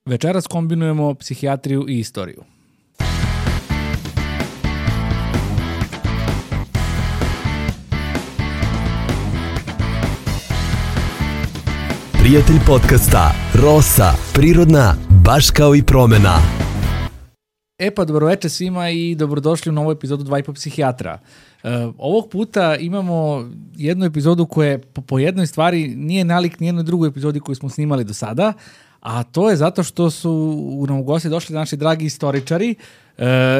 Večeras kombinujemo psihijatriju i istoriju. Prijatelj podcasta Rosa, prirodna, baš kao i promena. Pa dobroveče svima i dobrodošli u novu epizodu 2,5 psihijatra. Ovog puta imamo jednu epizodu koja po jednoj stvari nije nalik nijednoj drugoj epizodi koju smo snimali do sada, a to je zato što su u nam u gosti došli naši dragi istoričari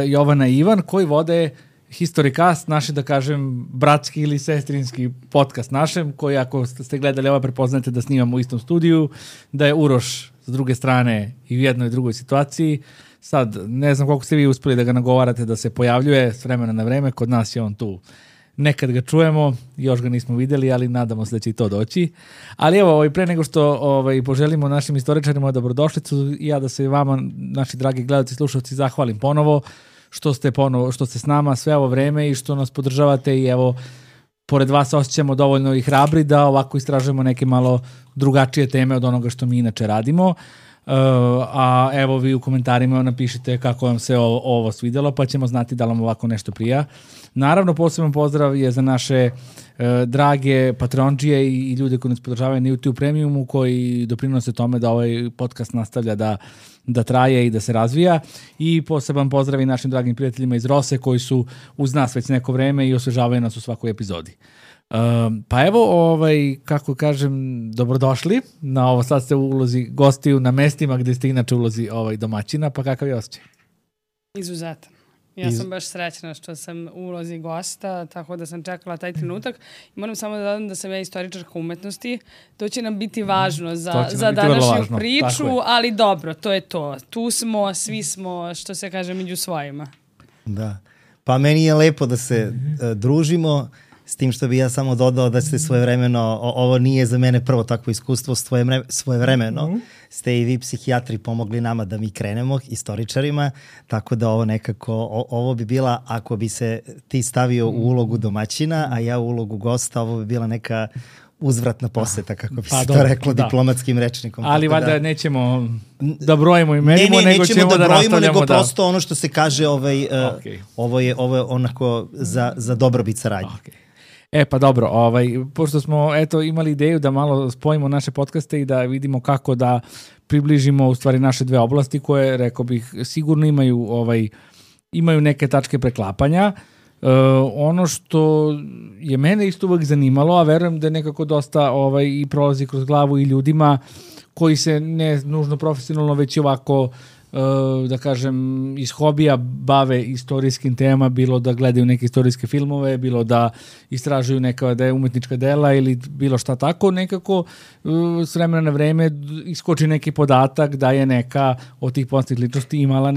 Jovana i Ivan koji vode Historicast, naši da kažem bratski ili sestrinski podcast našem, koji ako ste gledali ovo prepoznate da snimamo u istom studiju, da je Uroš s druge strane i u jednoj i drugoj situaciji. Sad, ne znam koliko ste vi uspeli da ga nagovarate da se pojavljuje s vremena na vreme, kod nas je on tu. Nekad ga čujemo, još ga nismo videli, ali nadamo se da će i to doći. Ali evo, pre nego što poželimo našim istoričarima dobrodošlicu, ja da se vama, naši dragi gledalci i slušalci, zahvalim ponovo što ste s nama sve ovo vreme i što nas podržavate i evo, pored vas osjećamo dovoljno i hrabri da ovako istražujemo neke malo drugačije teme od onoga što mi inače radimo. A evo vi u komentarima napišite kako vam se ovo svidjelo, pa ćemo znati da vam ovako nešto prija. Naravno, poseban pozdrav je za naše drage patronđije i ljude koji nas podržavaju na YouTube Premiumu, koji doprinose tome da ovaj podcast nastavlja da traje i da se razvija. I poseban pozdrav i našim dragim prijateljima iz Rose koji su uz nas već neko vreme i osvežavaju nas u svakoj epizodi. Pa evo, kako kažem, dobrodošli na ovo, sad ste u ulozi gostiju na mestima gdje ste inače u ulozi domaćina, pa kakav je osjećaj? Izuzetan. Ja sam baš srećna što sam u ulozi gosta, tako da sam čekala taj trenutak. I moram samo da dodam da sam ja istoričarka umetnosti. To će nam biti važno za današnju priču, ali dobro, to je to. Tu smo, svi smo, što se kaže, među svojima. Da. Pa meni je lepo da se družimo, s tim što bi ja samo dodao da ste svojevremeno, ovo nije za mene prvo takvo iskustvo, svojevremeno ste i vi psihijatri pomogli nama da mi krenemo, istoričarima, tako da ovo nekako, ovo bi bila, ako bi se ti stavio u ulogu domaćina, a ja u ulogu gosta, ovo bi bila neka uzvratna poseta, kako bi se to reklo diplomatskim rečnikom. Ali valjda nećemo da brojimo i merimo, nego ćemo da nastavljamo. Nego prosto ono što se kaže, ovo je onako za dobrobit saradnje. Pa dobro, pošto smo imali ideju da malo spojimo naše podcaste i da vidimo kako da približimo u stvari naše dve oblasti koje, rekao bih, sigurno imaju neke tačke preklapanja. Ono što je mene isto uvek zanimalo, a verujem da je nekako dosta i prolazi kroz glavu i ljudima koji se ne nužno profesionalno, već i ovako, da kažem, iz hobija bave istorijskim temama, bilo da gledaju neke istorijske filmove, bilo da istražuju neka umetnička dela ili bilo šta tako, nekako s vremena na vreme iskoči neki podatak da je neka od tih poznatih ličnosti imala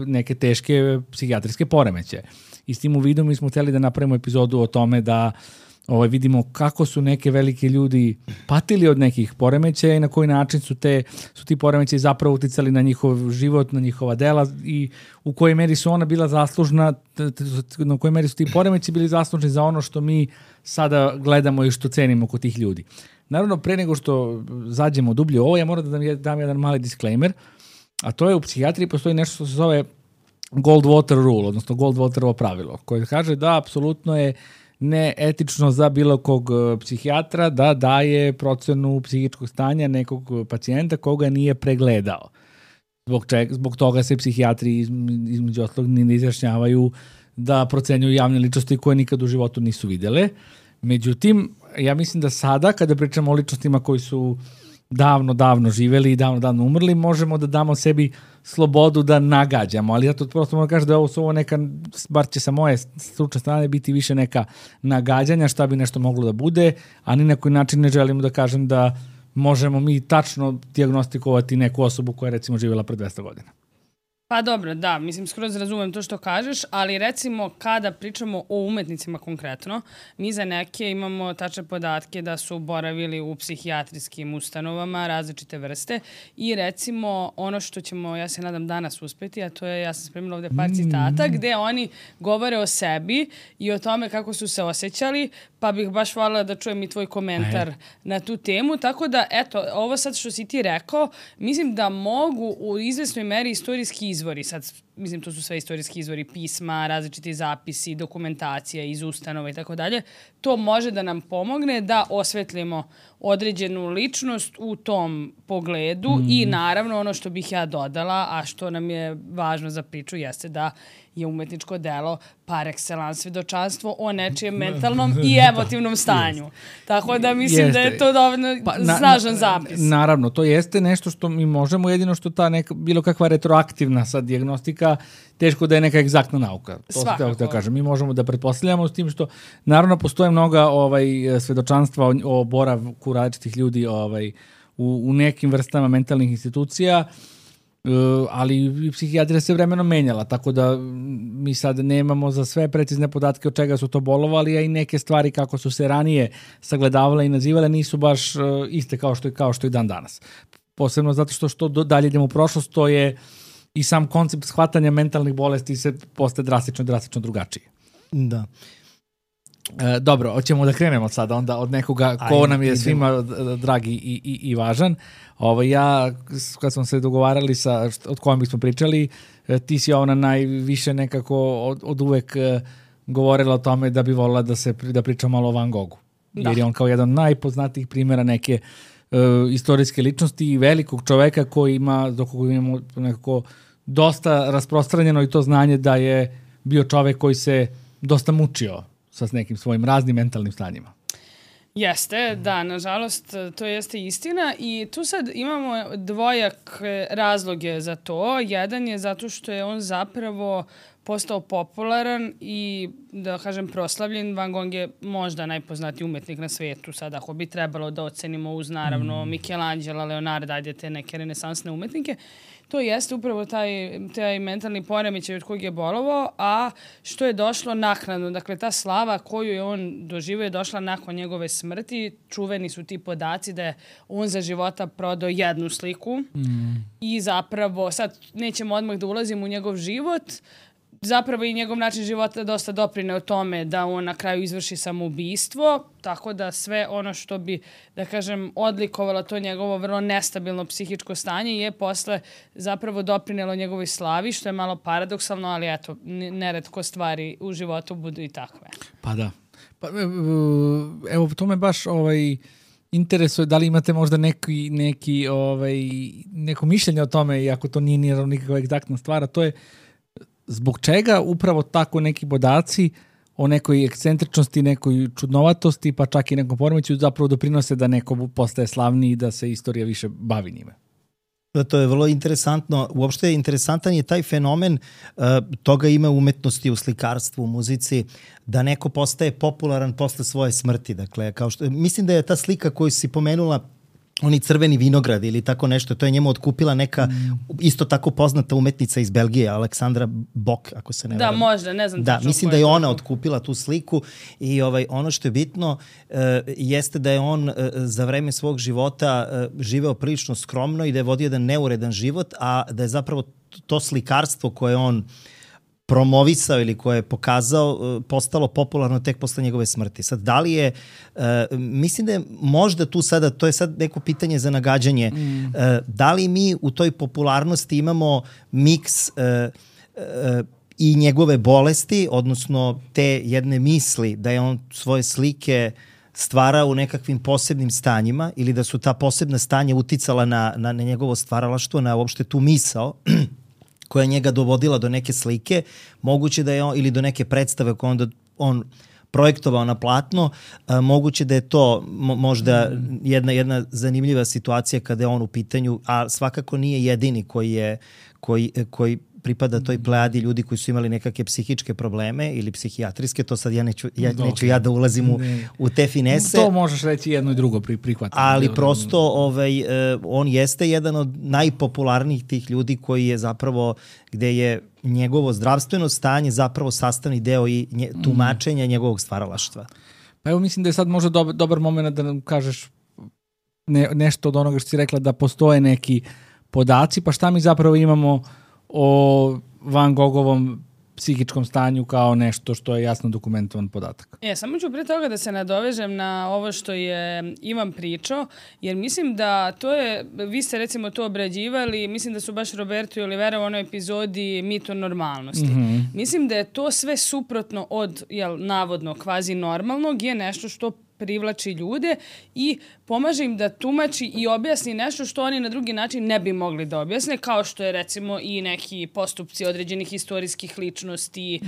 neke teške psihijatrijske poremećaje. I s tim u vidu mi smo htjeli da napravimo epizodu o tome da vidimo kako su neke velike ljudi patili od nekih poremećaja i na koji način su ti poremećaji zapravo uticali na njihov život, na njihova dela i u kojoj meri su ona bila zaslužna, na kojoj meri su ti poremećaji bili zaslužni za ono što mi sada gledamo i što cenimo kod tih ljudi. Naravno, pre nego što zađemo dublje ovo, ja moram da dam jedan mali disclaimer, a to je u psihijatriji postoji nešto što se zove Goldwater rule, odnosno Goldwaterovo pravilo, koje kaže da apsolutno je neetično za bilo kog psihijatra da daje procenu psihičkog stanja nekog pacijenta koga nije pregledao. Zbog toga se psihijatri između ostalog ne izjašnjavaju da procenjuju javne ličnosti koje nikad u životu nisu vidjele. Međutim, ja mislim da sada kada pričamo o ličnostima koji su davno živjeli i davno umrli, možemo da damo sebi slobodu da nagađamo, ali ja to prosto moram kažem da je ovo neka, bar će sa moje stručne strane biti više neka nagađanja šta bi nešto moglo da bude, a ni na koji način ne želimo da kažem da možemo mi tačno dijagnostikovati neku osobu koja je recimo živjela pre 200 godina. Pa dobro, da, mislim, skroz razumem to što kažeš, ali recimo kada pričamo o umetnicima konkretno, mi za neke imamo tačne podatke da su boravili u psihijatrijskim ustanovama različite vrste i recimo ono što ćemo, ja se nadam, danas uspeti, a to je, ja sam spremila ovde par citata, gde oni govore o sebi i o tome kako su se osjećali, pa bih baš voljela da čujem i tvoj komentar na tu temu. Tako da, eto, ovo sad što si ti rekao, mislim da mogu u izvesnoj meri istorijski izvori, sad, mislim, to su sve istorijski izvori, pisma, različiti zapisi, dokumentacija iz ustanova i tako dalje, to može da nam pomogne da osvetlimo određenu ličnost u tom pogledu i naravno ono što bih ja dodala, a što nam je važno za priču, jeste da je umetničko delo par excellence svedočanstvo o nečijem mentalnom i emotivnom stanju. Tako da mislim da je to dovoljno snažan zapis. Naravno, to jeste nešto što mi možemo, jedino što ta neka, bilo kakva retroaktivna sad dijagnostika, teško da je neka egzaktna nauka. To se da kažem. Mi možemo da pretpostavljamo s tim što naravno postoje mnoga svedočanstva o boravku različitih ljudi u nekim vrstama mentalnih institucija, ali i psihijatrija se vremenom menjala, tako da mi sad nemamo za sve precizne podatke od čega su to bolovali, a i neke stvari kako su se ranije sagledavale i nazivale nisu baš iste kao što i dan danas. Posebno zato što dalje idemo u prošlost, to je i sam koncept shvatanja mentalnih bolesti se postaje drastično drugačiji. Da. Dobro, hoćemo da krenemo sada onda od nekoga ko nam je svima dragi i važan. Ja, kad smo se dogovarali od kojom bismo pričali, ti si ona najviše nekako od uvek govorila o tome da bi volila da pričam malo o Van Goghu. Da. Jer je on kao jedan najpoznatijih primjera neke istorijske ličnosti i velikog čoveka koji ima, do koga imamo nekako dosta rasprostranjeno i to znanje da je bio čovek koji se dosta mučio sa nekim svojim raznim mentalnim stanjima. Jeste, da, nažalost, to jeste istina i tu sad imamo dvojak razloge za to. Jedan je zato što je on zapravo postao popularan i, da kažem, proslavljen. Van Gogh je možda najpoznatiji umetnik na svetu. Sad, ako bi trebalo da ocenimo uz, naravno, Michelangela, Leonarda, ajde te neke renesansne umetnike, to jeste upravo taj mentalni poremećaj od kojeg je bolovao, a što je došlo naknadno. Dakle, ta slava koju je on doživio je došla nakon njegove smrti. Čuveni su ti podaci da je on za života prodao jednu sliku i zapravo, sad nećemo odmah da ulazimo u njegov život, zapravo i njegov način života dosta doprine o tome da on na kraju izvrši samoubistvo, tako da sve ono što bi, da kažem, odlikovalo to njegovo vrlo nestabilno psihičko stanje je posle zapravo doprinelo njegovoj slavi, što je malo paradoksalno, ali eto, neretko stvari u životu budu i takve. Pa da. Pa, evo, to me baš interesuje, da li imate možda neko mišljenje o tome, iako to nije nikakva egzaktna stvar, a to je zbog čega upravo tako neki podaci o nekoj ekscentričnosti, nekoj čudnovatosti, pa čak i nekom poremećaju zapravo doprinose da neko postaje slavniji i da se istorija više bavi njime. To je vrlo interesantno. Uopšte interesantan je taj fenomen, toga ima u umetnosti, u slikarstvu, u muzici, da neko postaje popularan posle svoje smrti. Dakle, mislim da je ta slika koju si pomenula, oni crveni vinograd ili tako nešto, to je njemu otkupila neka isto tako poznata umetnica iz Belgije, Aleksandra Bok, ako se ne varam. Da, možda, ne znam. Da, mislim da je ona otkupila tu sliku i ono što je bitno jeste da je on za vreme svog života živeo prilično skromno i da je vodio jedan neuredan život, a da je zapravo to slikarstvo koje on promovisao ili koje je pokazao, postalo popularno tek posle njegove smrti. Sad, da li je, mislim da je možda tu sada, to je sad neko pitanje za nagađanje, da li mi u toj popularnosti imamo miks i njegove bolesti, odnosno te jedne misli da je on svoje slike stvara u nekakvim posebnim stanjima ili da su ta posebna stanja uticala na njegovo stvaralaštvo, na uopšte tu misao koja je njega dovodila do neke slike, moguće da je ili do neke predstave koje onda on projektovao na platno, moguće da je to možda jedna zanimljiva situacija kada je on u pitanju, a svakako nije jedini koji pripada toj plejadi ljudi koji su imali nekakve psihičke probleme ili psihijatrijske, to sad neću da ulazim u te finese. To možeš reći jedno i drugo prihvatiti. Ali prosto on jeste jedan od najpopularnijih tih ljudi koji je zapravo, gde je njegovo zdravstveno stanje zapravo sastavni deo i tumačenja njegovog stvaralaštva. Pa evo, mislim da je sad možda dobar moment da nam kažeš nešto od onoga što si rekla, da postoje neki podaci, pa šta mi zapravo imamo o Van Gogovom psihičkom stanju kao nešto što je jasno dokumentovan podatak. Samo ću pre toga da se nadovežem na ovo što je Ivan pričao, jer mislim da to je, vi ste recimo to obrađivali, mislim da su baš Roberto i Olivera u onoj epizodi Mit o normalnosti. Mislim da je to sve suprotno od, navodno, kvazi normalnog, je nešto što privlači ljude i pomaže im da tumači i objasni nešto što oni na drugi način ne bi mogli da objasne, kao što je recimo i neki postupci određenih istorijskih ličnosti.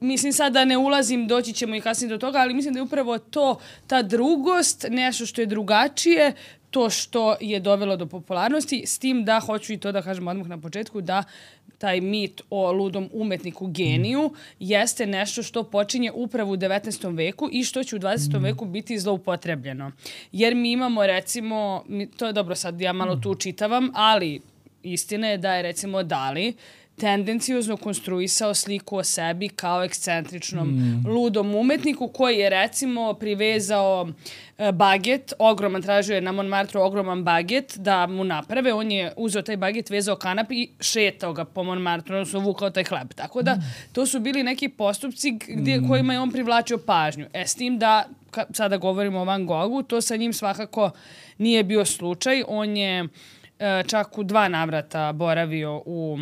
Mislim, sad da ne ulazim, doći ćemo i kasnije do toga, ali mislim da je upravo to, ta drugost, nešto što je drugačije, to što je dovelo do popularnosti, s tim da hoću i to da kažem odmah na početku, da taj mit o ludom umetniku geniju jeste nešto što počinje upravo u 19. veku i što će u 20. veku biti zloupotrebljeno. Jer mi imamo recimo, to je dobro sad ja malo tu čitavam, ali istina je da je recimo Dali tendencijozno konstruisao sliku o sebi kao ekscentričnom ludom umetniku koji je recimo privezao baget, ogroman, tražio je na Montmartru ogroman baget da mu naprave, on je uzeo taj baget, vezao kanap i šetao ga po Montmartru, odnosno vukao taj hleb. Tako da to su bili neki postupci kojima je on privlačio pažnju. S tim da, sada govorimo o Van Goghu, to sa njim svakako nije bio slučaj. On je čak u 2 navrata boravio u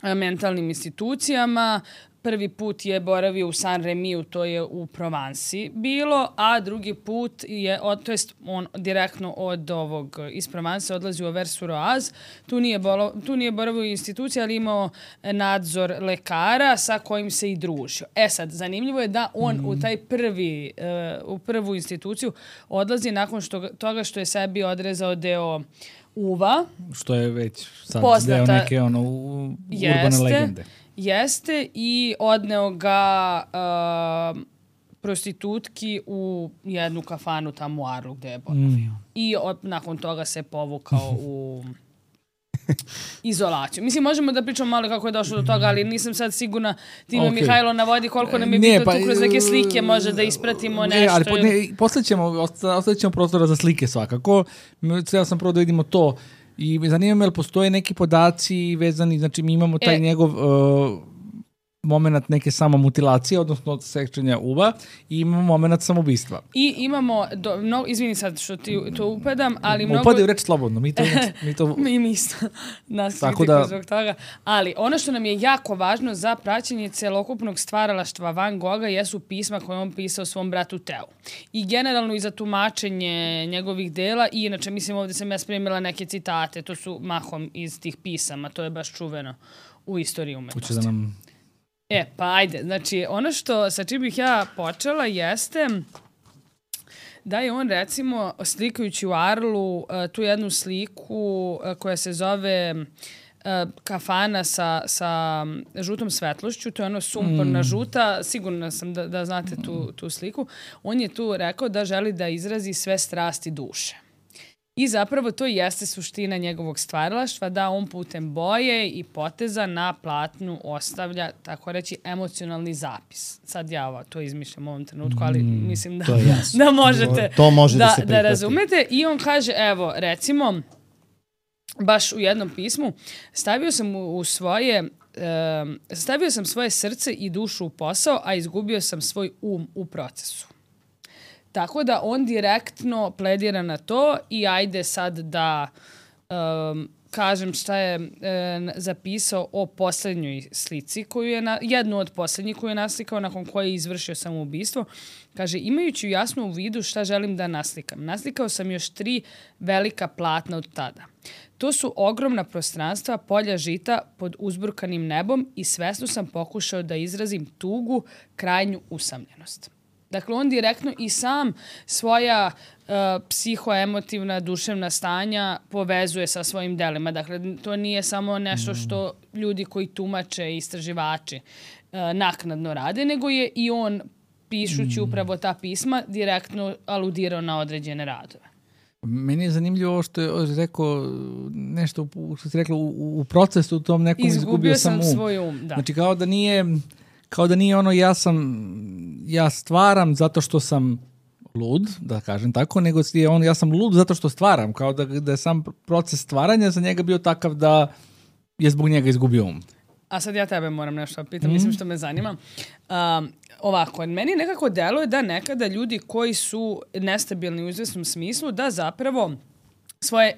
mentalnim institucijama. Prvi put je boravio u Saint-Rémy, to je u Provansi bilo, a drugi put je, to jest on direktno od ovog iz Provanse odlazi u Auvers-sur-Oise. Tu nije boravio u instituciji, ali imao nadzor lekara sa kojim se i družio. Sad, zanimljivo je da on u prvu instituciju odlazi nakon toga što je sebi odrezao deo uva. Što je već sad deo neke urbane legende. Jeste, i odneo ga prostitutki u jednu kafanu tamo u Arlu gde je boravio. I nakon toga se povukao u izolaciju. Mislim, možemo da pričamo malo kako je došlo do toga, ali nisam sad sigurna. Time Mihajlo navodi koliko nam je bitno tu kroz neke slike može da ispratimo nešto. Ostavit ćemo prostora za slike svakako. Ja sam prvo da vidimo to. I zanima me, postoje neki podaci vezani, znači mi imamo taj njegov moment neke samomutilacije, odnosno sekčenja uva, i imamo moment samoubistva. I imamo, izvini sad što ti to upadam, ali mnogo... Upadaju reč slobodno, mi to... mi isto nas kritikuju zbog toga. Ali ono što nam je jako važno za praćenje celokupnog stvaralaštva Van Gogha jesu pisma koje on pisao svom bratu Teu. I generalno i za tumačenje njegovih dela, i inače, mislim, ovdje sam ja spremila neke citate, to su mahom iz tih pisama, to je baš čuveno u istoriji umetnosti. Hoće da nam... Pa ajde, znači ono što sa čim bih ja počela jeste da je on recimo slikajući u Arlu tu jednu sliku koja se zove kafana sa žutom svetlošću, to je ono sumporna žuta, sigurna sam da znate tu sliku. On je tu rekao da želi da izrazi sve strasti duše. I zapravo to jeste suština njegovog stvaralaštva, da on putem boje i poteza na platnu ostavlja, tako reći, emocionalni zapis. Sad ja to izmišljam u ovom trenutku, ali mislim da možete da razumete. I on kaže, evo, recimo, baš u jednom pismu, stavio sam svoje srce i dušu u posao, a izgubio sam svoj u procesu. Tako da on direktno pledira na to i ajde sad da kažem šta je zapisao o posljednjoj slici, jednu od posljednjih koju je naslikao nakon koje je izvršio samoubistvo. Kaže, imajući jasno u vidu šta želim da naslikam. Naslikao sam još 3 velika platna od tada. To su ogromna prostranstva, polja žita pod uzburkanim nebom i svesno sam pokušao da izrazim tugu, krajnju usamljenost. Dakle, on direktno i sam svoja psihoemotivna, duševna stanja povezuje sa svojim delima. Dakle, to nije samo nešto što ljudi koji tumače i istraživači naknadno rade, nego je i on, pišući upravo ta pisma, direktno aludirao na određene radove. Meni je zanimljivo ovo što je rekao nešto, što si rekla, u procesu u tom nekom izgubio sam um. svoj um, da. Znači kao da nije ono ja stvaram zato što sam lud, da kažem tako, nego je on ja sam lud zato što stvaram, kao da je sam proces stvaranja za njega bio takav da je zbog njega izgubio um. A sad ja tebe moram nešto pitam, mislim što me zanima. Ovako, meni nekako deluje da nekada ljudi koji su nestabilni u izvesnom smislu, da zapravo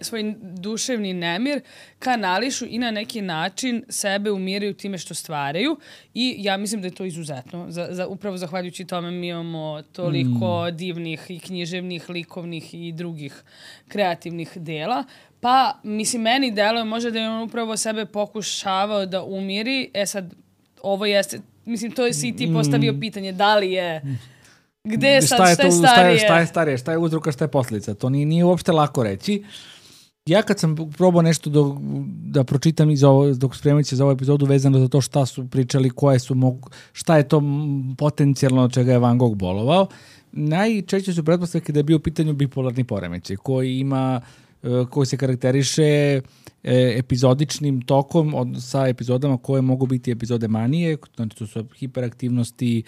svoj duševni nemir kanališu i na neki način sebe umiraju time što stvaraju i ja mislim da je to izuzetno. Upravo zahvaljujući tome mi imamo toliko divnih i književnih, likovnih i drugih kreativnih dela. Pa, mislim, meni deluje možda da je on upravo sebe pokušavao da umiri. Sad, ovo jeste, mislim, to je si ti postavio pitanje, da li je... Gde je sad, šta je starije? Šta je starije, šta je uzroka, šta je posljedica. To nije uopšte lako reći. Ja kad sam probao nešto da pročitam dok spremajući za ovu epizodu vezano za to šta su pričali, šta je to potencijalno od čega je Van Gogh bolovao, najčešće su pretpostavke da je bio u pitanju bipolarni poremećaj koji se karakteriše epizodičnim tokom sa epizodama koje mogu biti epizode manije, znači to su hiperaktivnosti,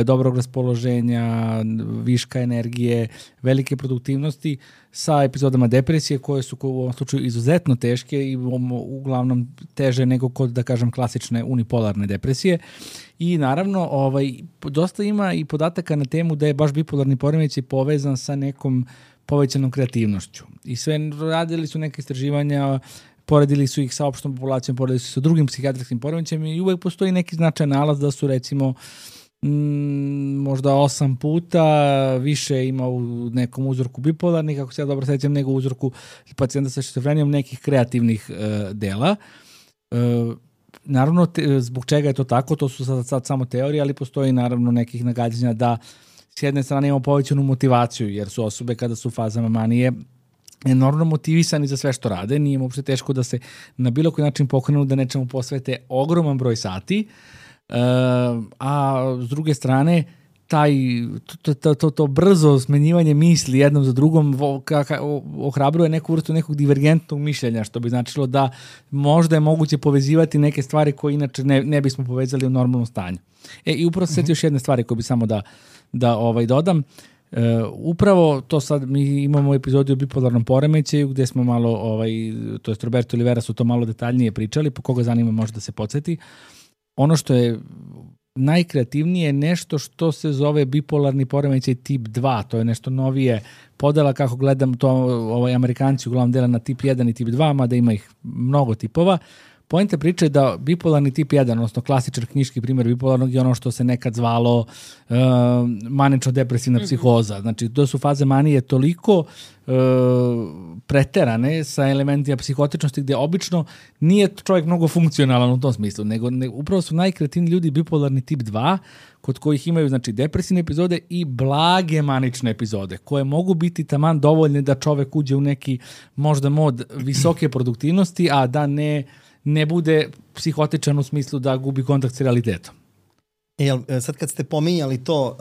dobrog raspoloženja, viška energije, velike produktivnosti, sa epizodama depresije koje su u ovom slučaju izuzetno teške i uglavnom teže nego kod, da kažem, klasične unipolarne depresije. I naravno, dosta ima i podataka na temu da je baš bipolarni poremećaj povezan sa nekom povećanom kreativnošću. I sve radili su neke istraživanja, poredili su ih sa opštom populacijom, poredili su sa drugim psihijatrijskim poremećajima i uvek postoji neki značajan nalaz da su recimo možda 8 puta više ima u nekom uzorku bipolarnih, ako se ja dobro sećam, nego u uzorku pacijenta sa šizofrenijom nekih kreativnih dela. Naravno, zbog čega je to tako, to su sad samo teorije, ali postoji naravno nekih nagađanja da s jedne strane imamo povećanu motivaciju, jer su osobe kada su u fazama manije enormno motivisani za sve što rade, nije im uopšte teško da se na bilo koji način pokrenu da nečemu posvete ogroman broj sati, a s druge strane to brzo smenjivanje misli jednom za drugom ohrabruje neku vrstu nekog divergentnog mišljenja, što bi značilo da možda je moguće povezivati neke stvari koje inače ne bismo povezali u normalnom stanju. I upravo se sjeti još jedne stvari koje bi samo da dodam. Upravo to sad mi imamo epizodu o bipolarnom poremećaju gde smo malo, to je Roberto Olivera su to malo detaljnije pričali, po koga zanima može da se podsjeti. Ono što je najkreativnije je nešto što se zove bipolarni poremećaj tip 2, to je nešto novije podela, kako gledam to, Amerikanci uglavnom dela na tip 1 i tip 2, mada ima ih mnogo tipova. Poenta priče je da bipolarni tip 1, odnosno klasičan knjiški primjer bipolarnog je ono što se nekad zvalo manično-depresivna psihoza. Znači, to su faze manije toliko preterane sa elementima psihotičnosti gdje obično nije čovjek mnogo funkcionalan u tom smislu, nego upravo su najkreativniji ljudi bipolarni tip 2, kod kojih imaju, znači, depresivne epizode i blage manične epizode, koje mogu biti taman dovoljne da čovjek uđe u neki možda mod visoke produktivnosti, a da ne bude psihotičan u smislu da gubi kontakt s realitetom. Sad kad ste pominjali to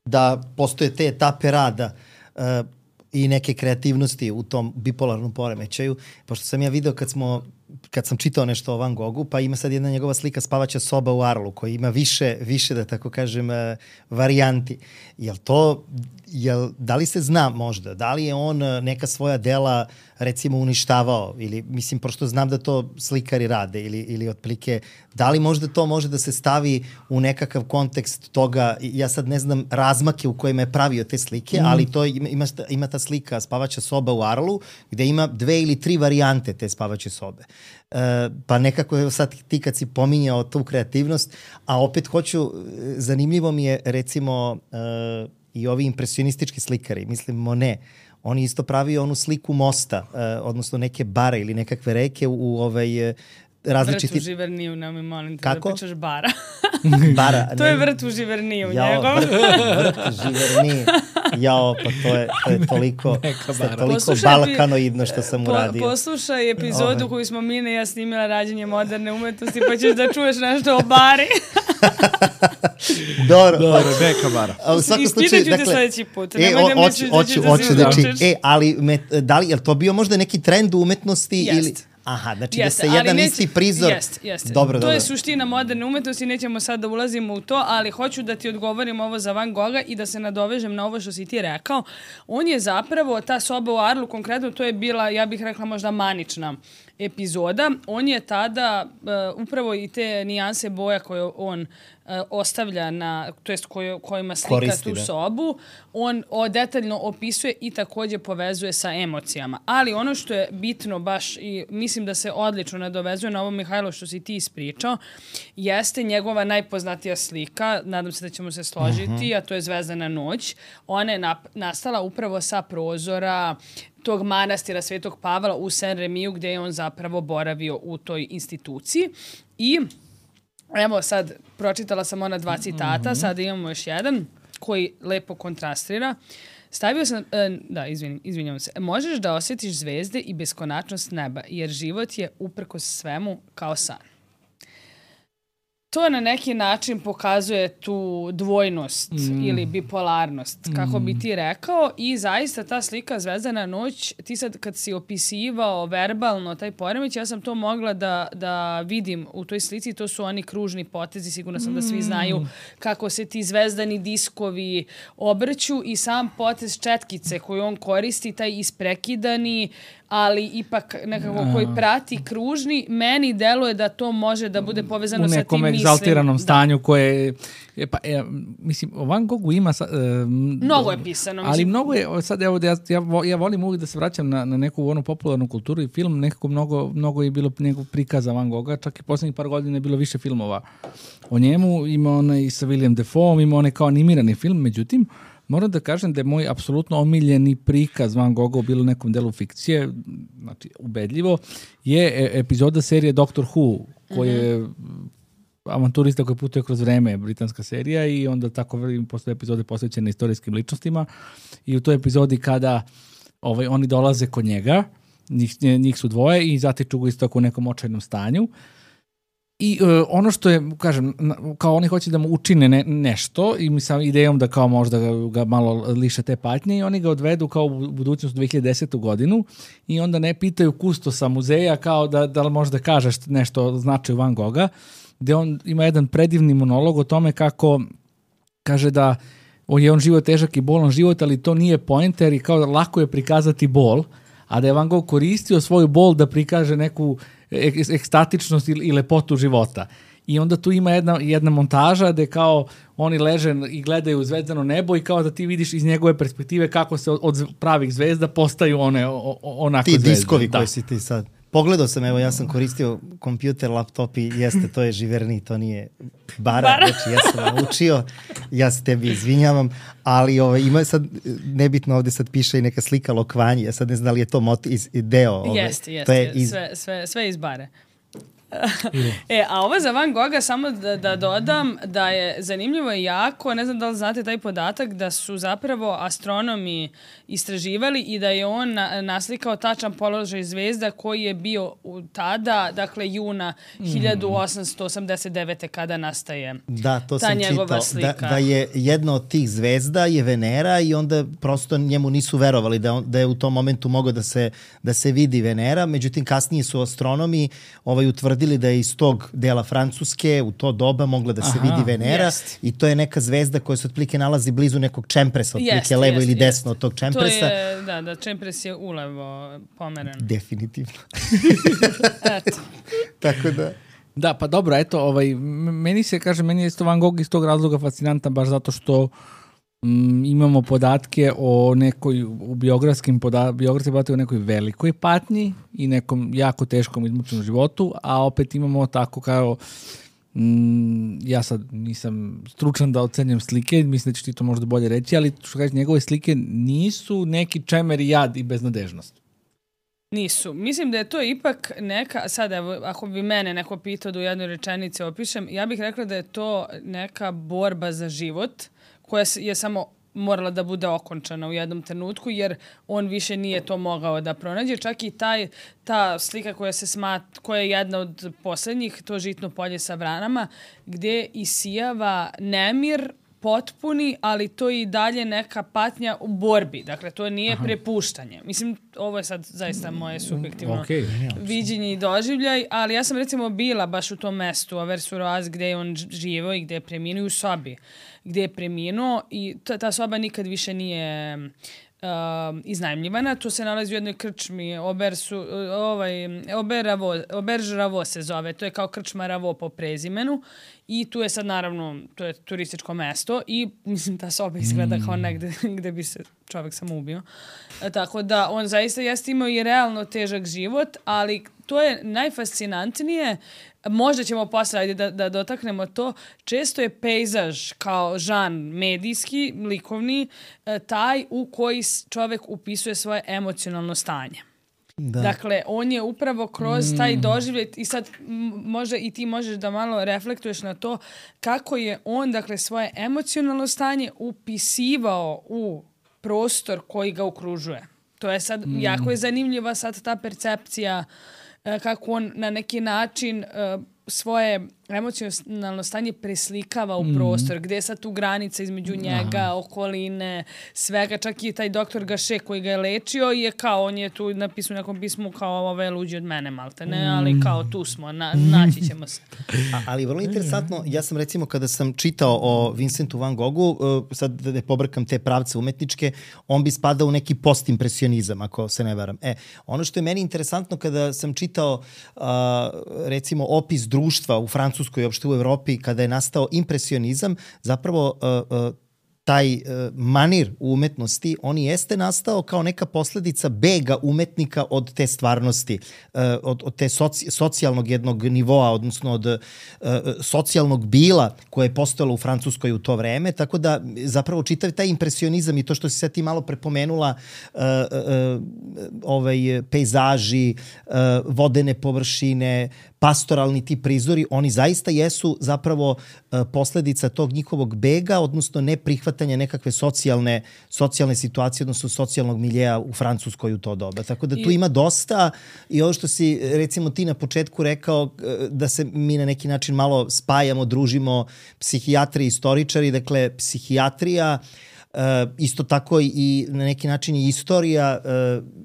da postoje te etape rada i neke kreativnosti u tom bipolarnom poremećaju, pošto sam ja video kad sam čitao nešto o Van Goghu, pa ima sad jedna njegova slika Spavaća soba u Arlu, koja ima više, da tako kažem, varijanti. Da li se zna možda, da li je on neka svoja dela recimo uništavao, ili mislim, pošto znam da to slikari rade, ili otprilike, da li možda to može da se stavi u nekakav kontekst toga, ja sad ne znam razmake u kojima je pravio te slike, ali to ima ta slika Spavaća soba u Arlu, gde ima 2 ili 3 varijante te spavaće sobe. Pa nekako sad ti kad si pominjao tu kreativnost, a opet zanimljivo mi je recimo i ovi impresionistički slikari, mislim Monet, on isto pravio onu sliku mosta, odnosno neke bare ili nekakve reke u različiti... Vrtu Živerniju, ne mi molim te da pričaš bara. Bara. To je vrt u Živerniju njegov. Vrt u Živerniju. Jao, pa to je toliko balkanoidno što sam uradio. Poslušaj epizodu koju smo Mina i ja snimila Rađenje moderne umetnosti, pa ćeš da čuješ nešto o bari. Dobro, Beka bara. Ispitaću te sledeći put. Hoću da ali da li je to bio možda neki trend u umetnosti ili... Aha, znači da se jedan isti prizor... Jeste. Dobro. To je suština moderne umetnosti, nećemo sad da ulazimo u to, ali hoću da ti odgovorim ovo za Van Gogha i da se nadovežem na ovo što si ti rekao. On je zapravo, ta soba u Arlu konkretno, to je bila, ja bih rekla možda manična epizoda. On je tada upravo i te nijanse boja koje on ostavlja to jest kojima slika tu sobu, on detaljno opisuje i takođe povezuje sa emocijama. Ali ono što je bitno baš i mislim da se odlično nadovezuje na ovo, Mihajlo, što si ti ispričao, jeste njegova najpoznatija slika, nadam se da ćemo se složiti, a to je Zvezdana noć. Ona je nastala upravo sa prozora tog manastira Svetog Pavla u Saint-Remiju, gde je on zapravo boravio u toj instituciji. I evo sad, pročitala sam ona 2 citata, sada imamo još jedan koji lepo kontrastira. Stavio sam, izvinjavam se, možeš da osjetiš zvezde i beskonačnost neba, jer život je uprkos svemu kao san. To na neki način pokazuje tu dvojnost ili bipolarnost, kako bi ti rekao, i zaista ta slika Zvezdana noć, ti sad kad si opisivao verbalno taj poremeć, ja sam to mogla da vidim u toj slici, to su oni kružni potezi, sigurno sam da svi znaju kako se ti zvezdani diskovi obrću i sam potez četkice koju on koristi, taj isprekidani, ali ipak nekako koji prati kružni, meni deluje da to može da bude povezano sa tim mislim. U nekom egzaltiranom stanju koje... mislim, o Van Goghu ima... mnogo je pisano. Ali mnogo je, sad evo, ja volim uvijek da se vraćam na neku onu popularnu kulturu i film, nekako mnogo je bilo nekog prikaza Van Gogha, čak i poslednjih par godina je bilo više filmova o njemu, ima onaj sa William Defoe, ima onaj kao animirani film, međutim, moram da kažem da je moj apsolutno omiljeni prikaz Van Gogha bilo u nekom delu fikcije, znači ubedljivo, je epizoda serije Doctor Who, koji je avanturista koji putuje kroz vreme, britanska serija, i onda tako posle epizode posvećene istorijskim ličnostima, i u toj epizodi kada oni dolaze kod njega, njih su dvoje i zatiču ga isto u nekom očajnom stanju. I ono što je, kažem, kao oni hoće da mu učine nešto i sa idejom da kao možda ga malo liše te patnje, i oni ga odvedu kao u budućnost 2010. godinu i onda ne pitaju kustosa muzeja kao da li možda kažeš nešto o značaju Van Gogha, gde on ima jedan predivni monolog o tome kako kaže da je on život težak i bolan život, ali to nije poenter i kao lako je prikazati bol, a da je Van Gogh koristio svoju bol da prikaže neku ekstatičnost i lepotu života. I onda tu ima jedna montaža gde kao oni leže i gledaju zvezdano nebo i kao da ti vidiš iz njegove perspektive kako se od pravih zvezda postaju one onako zvezde. Ti diskovi koji si ti sad. Pogledao sam, evo, ja sam koristio kompjuter, laptop i jeste, to je Živerni, to nije bara. Znači, ja sam vam učio, ja se tebi izvinjavam, ali ima sad, nebitno ovde sad piše i neka slika Lokvanji, ja sad ne znam da li je to deo. Jeste, sve iz bare. A ovo za Van Gogha, samo da dodam da je zanimljivo i jako, ne znam da li znate taj podatak, da su zapravo astronomi istraživali i da je on naslikao tačan položaj zvezda koji je bio tada, dakle juna 1889. kada nastaje ta njegova slika. Da je jedna od tih zvezda je Venera i onda prosto njemu nisu verovali da je u tom momentu mogao da se vidi Venera, međutim kasnije su astronomi utvrdili da je iz tog dela Francuske u to doba mogla da se vidi Venera i to je neka zvezda koja se otprilike nalazi blizu nekog čempresa, otprilike levo ili desno od tog čempresa. To je, da, čempres je ulevo pomeren. Definitivno. Eto. Tako da... Da, pa dobro, eto, meni je isto Van Gogh iz tog razloga fascinantan, baš zato što imamo podatke o nekoj, u biografski podatke o nekoj velikoj patnji i nekom jako teškom izmučenom životu, a opet imamo tako kao, ja sad nisam stručan da ocenjam slike, mislim da ćeš ti to možda bolje reći, ali što kažeš, njegove slike nisu neki čemer i jad i beznadežnost. Nisu. Mislim da je to ipak neka, sad evo, ako bi mene neko pitao da u jednoj rečenici opišem, ja bih rekla da je to neka borba za život koja je samo morala da bude okončana u jednom trenutku, jer on više nije to mogao da pronađe. Čak i ta slika koja je jedna od poslednjih, to žitno polje sa vranama, gde isijava nemir potpuni, ali to je i dalje neka patnja u borbi. Dakle, to nije prepuštanje. Mislim, ovo je sad zaista moje subjektivno viđenje i doživljaj, ali ja sam recimo bila baš u tom mestu, Auvers-sur-Oise, gde je on živio i gde je preminuo u sobi, gde je preminuo i ta soba nikad više nije iznajmljivana. To se nalazi u jednoj krčmi, Auberge Ravo se zove. To je kao krčma Ravo po prezimenu. I tu je sad naravno, to je turističko mesto i mislim ta soba izgleda kao negde gde bi se čovjek samo ubio. Tako da on zaista jeste imao i realno težak život, ali to je najfascinantnije. Možda ćemo posle da dotaknemo to. Često je pejzaž kao žan medijski, likovni, taj u koji čovjek upisuje svoje emocionalno stanje. Da. Dakle, on je upravo kroz taj doživljaj i sad možda i ti možeš da malo reflektuješ na to kako je on, dakle, svoje emocionalno stanje upisivao u prostor koji ga okružuje. To je sad, jako je zanimljiva sad ta percepcija kako on na neki način svoje emocionalno stanje preslikava u prostor, gde je sad tu granica između njega, okoline, svega, čak i taj doktor Gaše koji ga je lečio je kao, on je tu napisao u nekom pismu kao ovo je luđi od mene, malte ne, ali kao tu smo, naći ćemo se. Ali vrlo interesantno, ja sam recimo kada sam čitao o Vincentu Van Goghu, sad da ne pobrkam te pravce umetničke, on bi spadao u neki postimpresionizam, ako se ne varam. Ono što je meni interesantno kada sam čitao recimo opis društva u Francuskoj i uopšte u Evropi, kada je nastao impresionizam, zapravo taj manir u umetnosti, on jeste nastao kao neka posledica bega umetnika od te stvarnosti, od te socijalnog jednog nivoa, odnosno od socijalnog bila koje je postojalo u Francuskoj u to vreme, tako da zapravo čitav taj impresionizam i to što si sad ti malo prepomenula, pejzaži, vodene površine, pastoralni ti prizori, oni zaista jesu zapravo posledica tog njihovog bega, odnosno neprihvatanja nekakve socijalne situacije, odnosno socijalnog miljeja u Francuskoj u to doba. Tako da tu ima dosta i ovo što si recimo ti na početku rekao da se mi na neki način malo spajamo, družimo psihijatri i istoričari, dakle psihijatrija, isto tako i na neki način i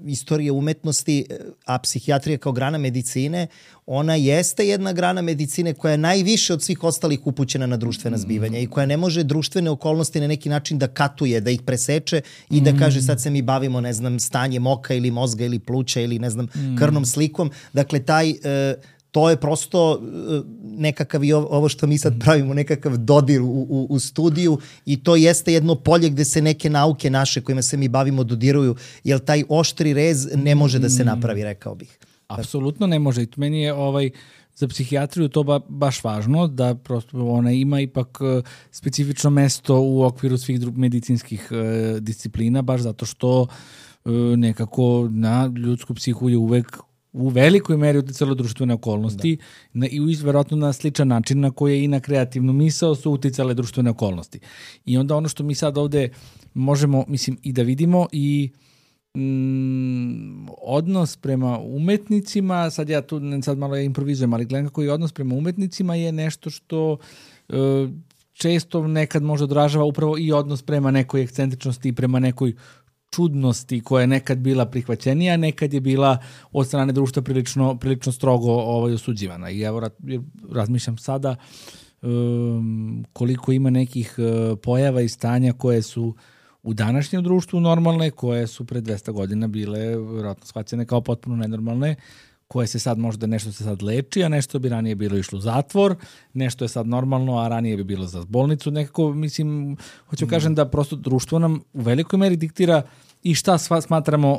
istorija umetnosti, a psihijatrija kao grana medicine, ona jeste jedna grana medicine koja je najviše od svih ostalih upućena na društvena zbivanja i koja ne može društvene okolnosti na neki način da katuje, da ih preseče i da kaže sad se mi bavimo, ne znam, stanjem oka ili mozga ili pluća ili ne znam, krvnom slikom. Dakle, to je prosto nekakav i ovo što mi sad pravimo, nekakav dodir u studiju i to jeste jedno polje gde se neke nauke naše kojima se mi bavimo dodiruju, jer taj oštri rez ne može da se napravi, rekao bih. Apsolutno ne može. I meni je za psihijatriju to baš važno, da prosto ona ima ipak specifično mesto u okviru svih medicinskih disciplina, baš zato što nekako na ljudsku psihu je uvek u velikoj meri uticalo društvene okolnosti i verovatno na sličan način na koji i na kreativnu misao su uticale društvene okolnosti. I onda ono što mi sad ovde možemo, mislim, i da vidimo i odnos prema umetnicima, sad ja tu sad malo improvizujem, ali gledam kako i odnos prema umetnicima je nešto što često nekad može odražava upravo i odnos prema nekoj ekscentričnosti i prema nekoj čudnosti koja je nekad bila prihvaćenija, nekad je bila od strane društva prilično strogo osuđivana. I evo razmišljam sada koliko ima nekih pojava i stanja koje su u današnjem društvu normalne, koje su pre 200 godina bile vjerojatno shvaćene kao potpuno nenormalne, koje se sad možda nešto se sad leči, a nešto bi ranije bilo išlo u zatvor, nešto je sad normalno, a ranije bi bilo za bolnicu. Nekako, mislim, hoću kažem da prosto društvo nam u velikoj meri diktira i šta smatramo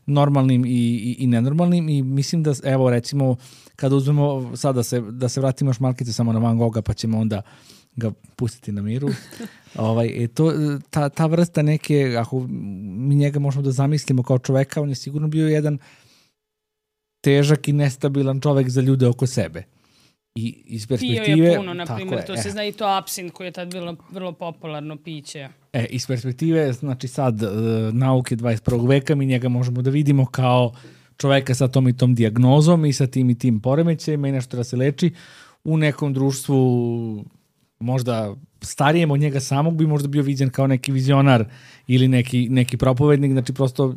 normalnim i nenormalnim i mislim da, evo recimo, kada uzmemo sad da se vratimo još malkice samo na Van Gogha, pa ćemo onda ga pustiti na miru. Ta vrsta neke, ako mi njega možemo da zamislimo kao čoveka, on je sigurno bio jedan težak i nestabilan čovek za ljude oko sebe. I iz perspektive... Pio je puno, na primjer, to se zna i to apsint koji je tad bilo vrlo popularno piće. Iz perspektive, znači sad, nauke 21. veka, mi njega možemo da vidimo kao čoveka sa tom i tom dijagnozom i sa tim i tim poremećajima i nešto da se leči. U nekom društvu možda starijem od njega samog bi možda bio viđen kao neki vizionar ili neki propovednik, znači prosto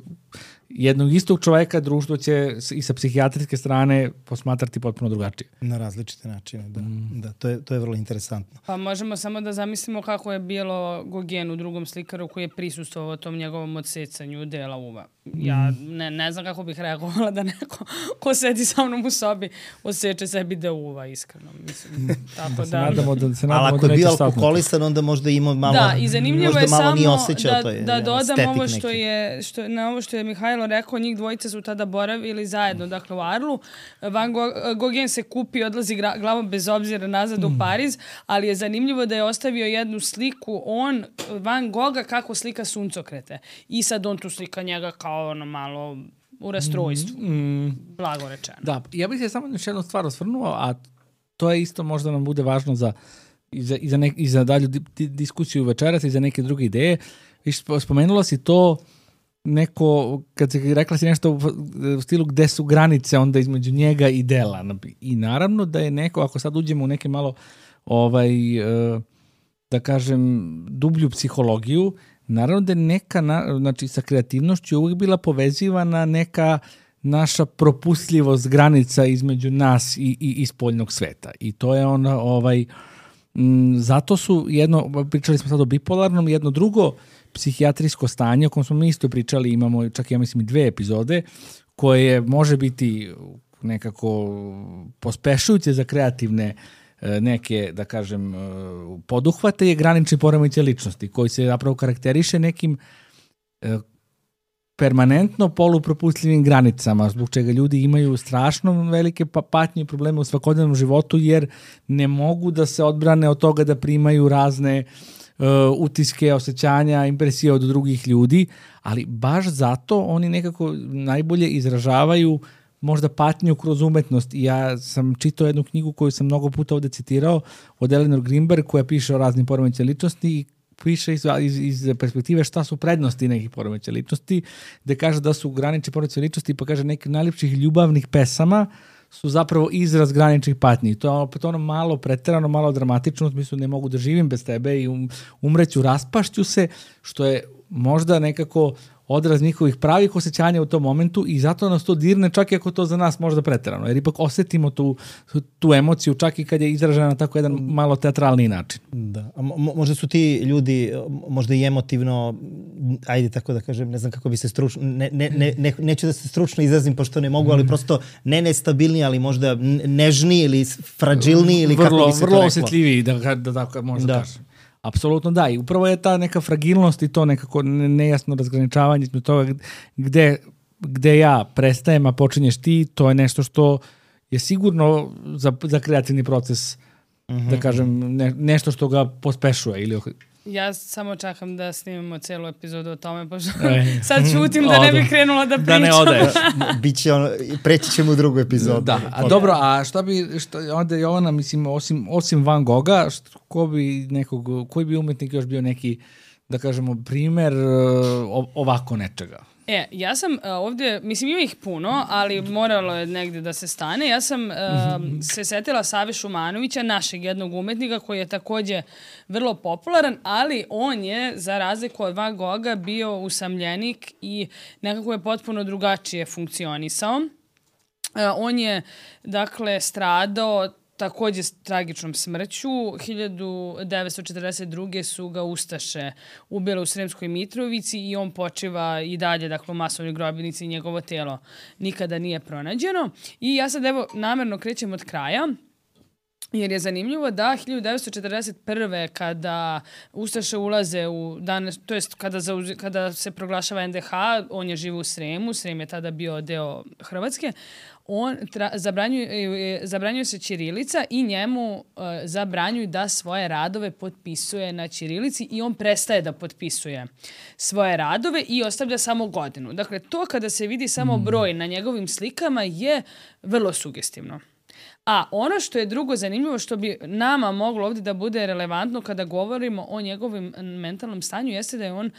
jednog istog čoveka društvo će i sa psihijatrijske strane posmatrati potpuno drugačije. Na različite načine, da. Da, to je vrlo interesantno. Pa možemo samo da zamislimo kako je bilo Gogen u Drugom slikaru koji je prisustvovao tom njegovom odsecanju dela uva. Ja ne znam kako bih reagovala da neko ko sedi sa mnom u sobi odseče sebi deo uva, iskreno. Mislim, tako da... Ali ako je bio alkoholisan, onda možda ima malo... Da, i zanimljivo je samo da dodam ovo što je Mihajlo rekao, njih dvojica su tada boravili zajedno, dakle u Arlu. Van Gogh se kupi i odlazi glavom bez obzira nazad u Pariz, ali je zanimljivo da je ostavio jednu sliku Van Gogha kako slika suncokrete. I sad on tu slika njega kao ono malo u rastrojstvu. Blago rečeno. Da, ja bih se samo još jednu stvar osvrnuo, a to je isto možda nam bude važno i za dalju diskusiju večeras i za neke druge ideje. Spomenula si to neko, kad si rekla si nešto u stilu gde su granice onda između njega i dela. I naravno da je neko, ako sad uđemo u neke malo da kažem dublju psihologiju, naravno da je neka, znači sa kreativnošću je uvijek bila povezivana neka naša propustljivost granica između nas i spoljnog sveta. I to je ona, zato su pričali smo sad o bipolarnom, jedno drugo psihijatrijsko stanje o kojem smo mi isto pričali, imamo čak ja mislim 2 epizode, koje može biti nekako pospešujuće za kreativne neke, da kažem, poduhvate je granični poremećaj ličnosti, koji se zapravo karakteriše nekim permanentno polupropustljivim granicama, zbog čega ljudi imaju strašno velike patnje i probleme u svakodnevnom životu, jer ne mogu da se odbrane od toga da primaju razne utiske, osjećanja, impresije od drugih ljudi, ali baš zato oni nekako najbolje izražavaju možda patnju kroz umetnost. I ja sam čitao jednu knjigu koju sam mnogo puta ovde citirao od Eleanor Greenberg, koja piše o raznim poremećajima ličnosti i piše iz perspektive šta su prednosti nekih poremećaja ličnosti, gde kaže da su granični poremećaji ličnosti, pa kaže neki najljepših ljubavnih pesama su zapravo izraz graničnih patnji. To je opet ono malo preterano, malo dramatično, u smislu ne mogu da živim bez tebe i umreću, raspašću se, što je možda nekako odraz njihovih pravih osjećanja u tom momentu i zato nas to dirne čak i ako to za nas možda preterano, jer ipak osetimo tu emociju čak i kad je izražena na tako jedan malo teatralni način. Da, a možda su ti ljudi možda i emotivno, ajde tako da kažem, ne znam kako bi se stručno, neću da se stručno izrazim pošto ne mogu, ali prosto ne nestabilni, ali možda nežni ili fragilni ili kako bi se to reklo. Vrlo osjetljiviji, da tako možda kažem. Apsolutno da, i upravo je ta neka fragilnost i to nekako nejasno razgraničavanje između toga gde ja prestajem, a počinješ ti, to je nešto što je sigurno za kreativni proces, da kažem, nešto što ga pospešuje ili... Ja samo čekam da snimamo celu epizodu o tome, pošto sad ćutim da ne bih krenula da pričam. Da ne odeš. Biće preći ćemo u drugu epizodu. Da, a dobro, a onda Jovana, mislim, osim Van Gogha, koji bi umetnik još bio neki, da kažemo, primer ovako nečega? Ja sam ovdje, mislim ima ih puno, ali moralo je negdje da se stane. Ja sam se setila Save Šumanovića, našeg jednog umetnika koji je također vrlo popularan, ali on je, za razliku od Van Gogha, bio usamljenik i nekako je potpuno drugačije funkcionisao. On je, dakle, stradao također s tragičnom smrću. 1942. su ga ustaše ubile u Sremskoj Mitrovici i on počiva i dalje, dakle, u masovnoj grobnici i njegovo tijelo nikada nije pronađeno. I ja sad evo namjerno krećem od kraja, jer je zanimljivo da 1941. kada ustaše ulaze u danas, to jest kada se proglašava NDH, on je živo u Sremu, Srem je tada bio deo Hrvatske, zabranjuje se ćirilica i njemu zabranjuju da svoje radove potpisuje na ćirilici i on prestaje da potpisuje svoje radove i ostavlja samo godinu. Dakle, to kada se vidi samo broj na njegovim slikama je vrlo sugestivno. A ono što je drugo zanimljivo, što bi nama moglo ovdje da bude relevantno kada govorimo o njegovim mentalnom stanju, jeste da je on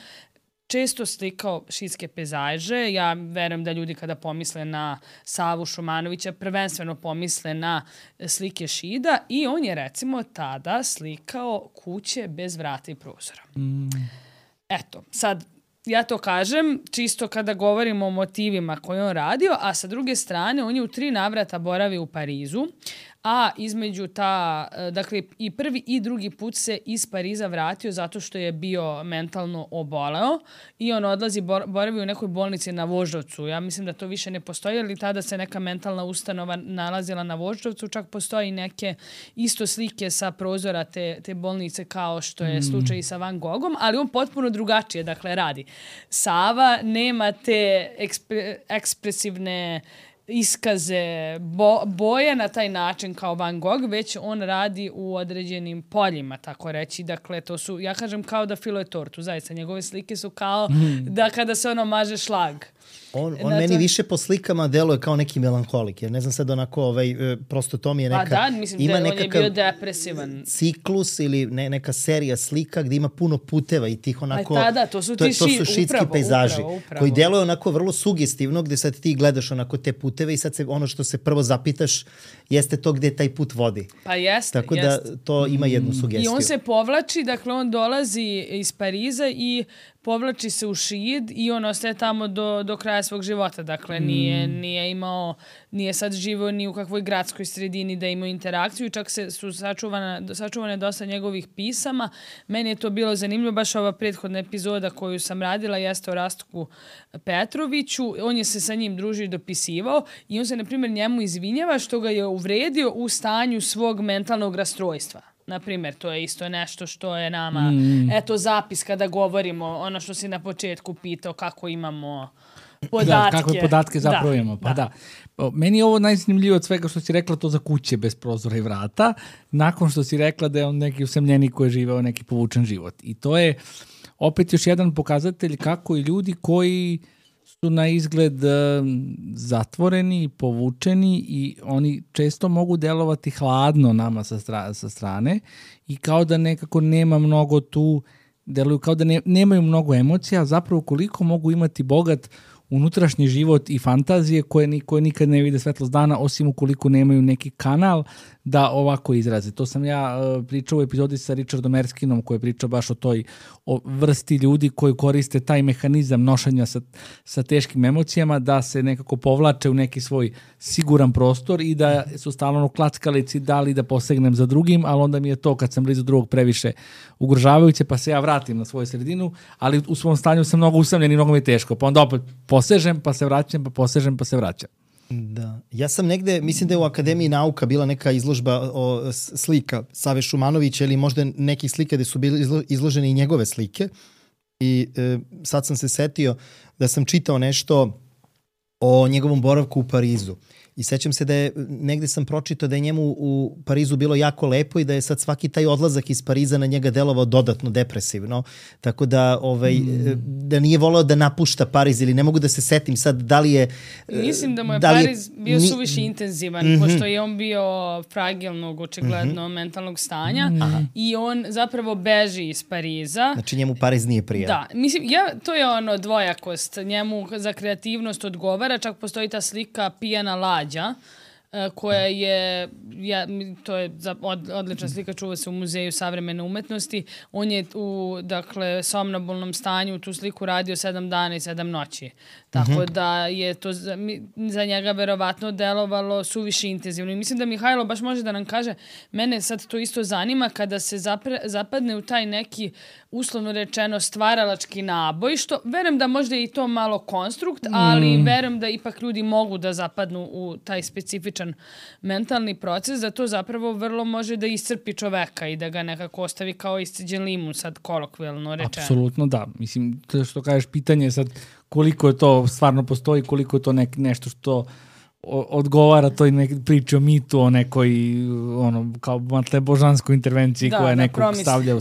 često slikao šidske pejzaže. Ja verujem da ljudi kada pomisle na Savu Šumanovića prvenstveno pomisle na slike šida i on je recimo tada slikao kuće bez vrata i prozora. Eto, sad ja to kažem čisto kada govorimo o motivima koje on radio, a sa druge strane on je u 3 navrata boravio u Parizu, a između dakle i prvi i drugi put se iz Pariza vratio zato što je bio mentalno oboleo i on boravio u nekoj bolnici na Voždovcu. Ja mislim da to više ne postoji, ali tada se neka mentalna ustanova nalazila na Voždovcu, čak postoji neke isto slike sa prozora te bolnice kao što je slučaj i sa Van Gogom, ali on potpuno drugačije dakle radi. Sava nema te ekspresivne iskaze boje na taj način kao Van Gogh, već on radi u određenim poljima, tako reći. Dakle, to su, ja kažem kao da filuje tortu, zaista. Njegove slike su kao da kada se ono maže šlag. On meni više po slikama deluje kao neki melanholik, jer ne znam sad onako, prosto to mi je neka... Pa da, mislim da on je bio depresivan. Ciklus ili neka serija slika gdje ima puno puteva i tih onako... To su šidski pejzaži koji deluju onako vrlo sugestivno, gdje sad ti gledaš onako te puteve i sad ono što se prvo zapitaš jeste to gdje taj put vodi. Pa jeste. Tako da to ima jednu sugestiju. I on se povlači, dakle on dolazi iz Pariza i povlači se u Šid i on ostaje tamo do kraja svog života. Dakle, nije sad živio ni u kakvoj gradskoj sredini da ima interakciju. Čak su sačuvane dosta njegovih pisama. Meni je to bilo zanimljivo. Baš ova prethodna epizoda koju sam radila jeste o Rastku Petroviću. On je se sa njim družio i dopisivao i on se, na primjer, njemu izvinjava što ga je uvredio u stanju svog mentalnog rastrojstva. Naprimjer, to je isto nešto što je nama, eto, zapis kada govorimo, ono što si na početku pitao, kako imamo podatke. Kakve podatke zapravo imamo. Pa da. Meni je ovo najzanimljivije od svega što si rekla to za kuće bez prozora i vrata, nakon što si rekla da je on neki usamljenik koji je živeo neki povučen život. I to je opet još jedan pokazatelj kako i ljudi koji su na izgled zatvoreni, povučeni i oni često mogu delovati hladno nama sa strane i kao da nekako nema mnogo tu, deluju kao da nemaju mnogo emocija, zapravo koliko mogu imati bogat unutrašnji život i fantazije koje nikad ne vide svetlost dana, osim ukoliko nemaju neki kanal da ovako izraze. To sam ja pričao u epizodi sa Richardom Erskinom koji je pričao baš o vrsti ljudi koji koriste taj mehanizam nošenja sa teškim emocijama da se nekako povlače u neki svoj siguran prostor i da su stalno klackalici da li da posegnem za drugim, ali onda mi je to kad sam blizu drugog previše ugrožavajuće pa se ja vratim na svoju sredinu, ali u svom stanju sam mnogo usamljen i mnogo mi je teško. Pa onda opet posežem pa se vraćam, pa posežem pa se vraćam. Da. Ja sam negde, mislim da je u Akademiji nauka bila neka izložba o slika Save Šumanovića ili možda nekih slika gde su bili izložene i njegove slike i sad sam se setio da sam čitao nešto o njegovom boravku u Parizu. I sećam se da je, negde sam pročitao da je njemu u Parizu bilo jako lepo i da je sad svaki taj odlazak iz Pariza na njega delovao dodatno depresivno. Tako da, da nije voleo da napušta Pariz ili ne mogu da se setim sad da li je... Mislim da mu je Pariz bio suviše intenzivan, pošto je on bio fragilnog, očigledno, mentalnog stanja i on zapravo beži iz Pariza. Znači njemu Pariz nije prijatno. Da, mislim, to je ono dvojakost. Njemu za kreativnost odgovara, čak postoji ta slika Pijana lađa, koja je, to je odlična slika, čuva se u Muzeju savremene umetnosti. On je u, dakle, somnambulnom stanju tu sliku radio 7 dana i 7 noći. Tako da je to za njega verovatno delovalo suviše intenzivno. I mislim da Mihajlo baš može da nam kaže, mene sad to isto zanima kada se zapadne u taj neki, uslovno rečeno, stvaralački naboj, što verujem da možda je i to malo konstrukt, ali verujem da ipak ljudi mogu da zapadnu u taj specifičan mentalni proces, da to zapravo vrlo može da iscrpi čoveka i da ga nekako ostavi kao isceđen limun, sad kolokvijalno rečeno. Apsolutno da. Mislim, to što kažeš, pitanje je sad koliko je to stvarno postoji, koliko je to nešto što odgovara toj priči o mitu, o nekoj kao božanskoj intervenciji koja nekog stavlja u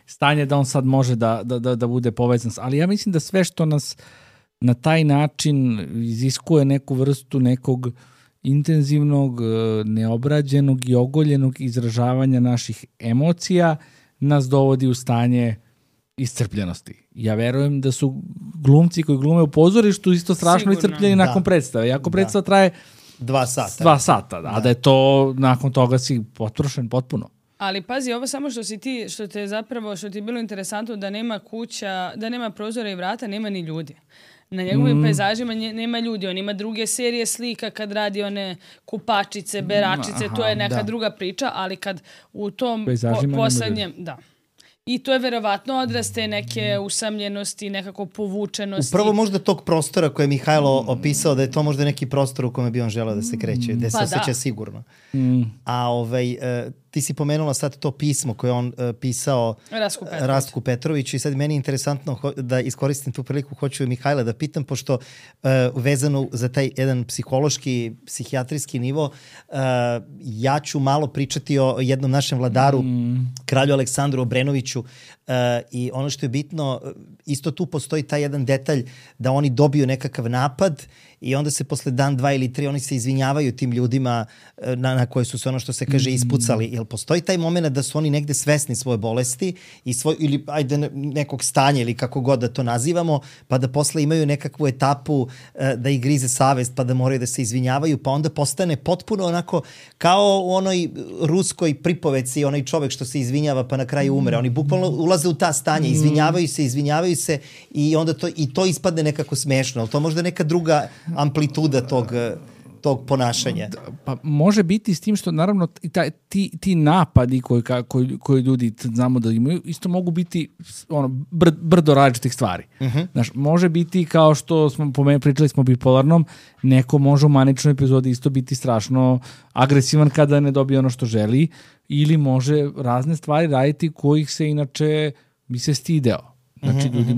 stanje da on sad može da bude povezan. Ali ja mislim da sve što nas na taj način iziskuje neku vrstu nekog intenzivnog, neobrađenog i ogoljenog izražavanja naših emocija nas dovodi u stanje iscrpljenosti. Ja verujem da su glumci koji glume u pozorištu isto strašno iscrpljeni nakon predstave. Iako predstava traje 2 sata, a da je to nakon toga si potrošen potpuno. Ali pazi, ovo samo što ti je bilo interesantno da nema kuća, da nema prozora i vrata, nema ni ljudi. Na njegovim pejzažima nema ljudi, on ima druge serije slika kad radi one kupačice, beračice, to je neka druga priča, ali kad u tom poslednjem, I to je verovatno odraz te neke usamljenosti, nekako povučenosti. Upravo možda tog prostora koje je Mihajlo opisao, da je to možda neki prostor u kome bi on želeo da se kreće, gde se osjeća sigurno. A ti si pomenula sad to pismo koje on pisao Rastku Petroviću i sad meni je interesantno da iskoristim tu priliku, hoću Mihajla da pitam, pošto vezano za taj jedan psihološki, psihijatrijski nivo, ja ću malo pričati o jednom našem vladaru, kralju Aleksandru Obrenoviću, i ono što je bitno, isto tu postoji taj jedan detalj da oni dobiju nekakav napad i onda se posle dan, 2 ili 3 oni se izvinjavaju tim ljudima na koje su se, ono što se kaže, ispucali. Jel postoji taj moment da su oni negde svesni svoje bolesti i ili nekog stanja ili kako god da to nazivamo, pa da posle imaju nekakvu etapu da ih grize savest, pa da moraju da se izvinjavaju, pa onda postane potpuno onako kao u onoj ruskoj pripoveci, onaj čovek što se izvinjava pa na kraju umre. Oni bukvalno ulaze u ta stanja, izvinjavaju se i onda to ispadne nekako smešno. Ali to možda neka druga amplituda tog ponašanja. Pa može biti s tim što naravno ti napadi koji ljudi znamo da imaju isto mogu biti brdo različitih stvari. Znaš, može biti kao što smo pričali smo bipolarnom, neko može u maničnoj epizodi isto biti strašno agresivan kada ne dobije ono što želi, ili može razne stvari raditi kojih se inače bi se stideo. Znači, ljudi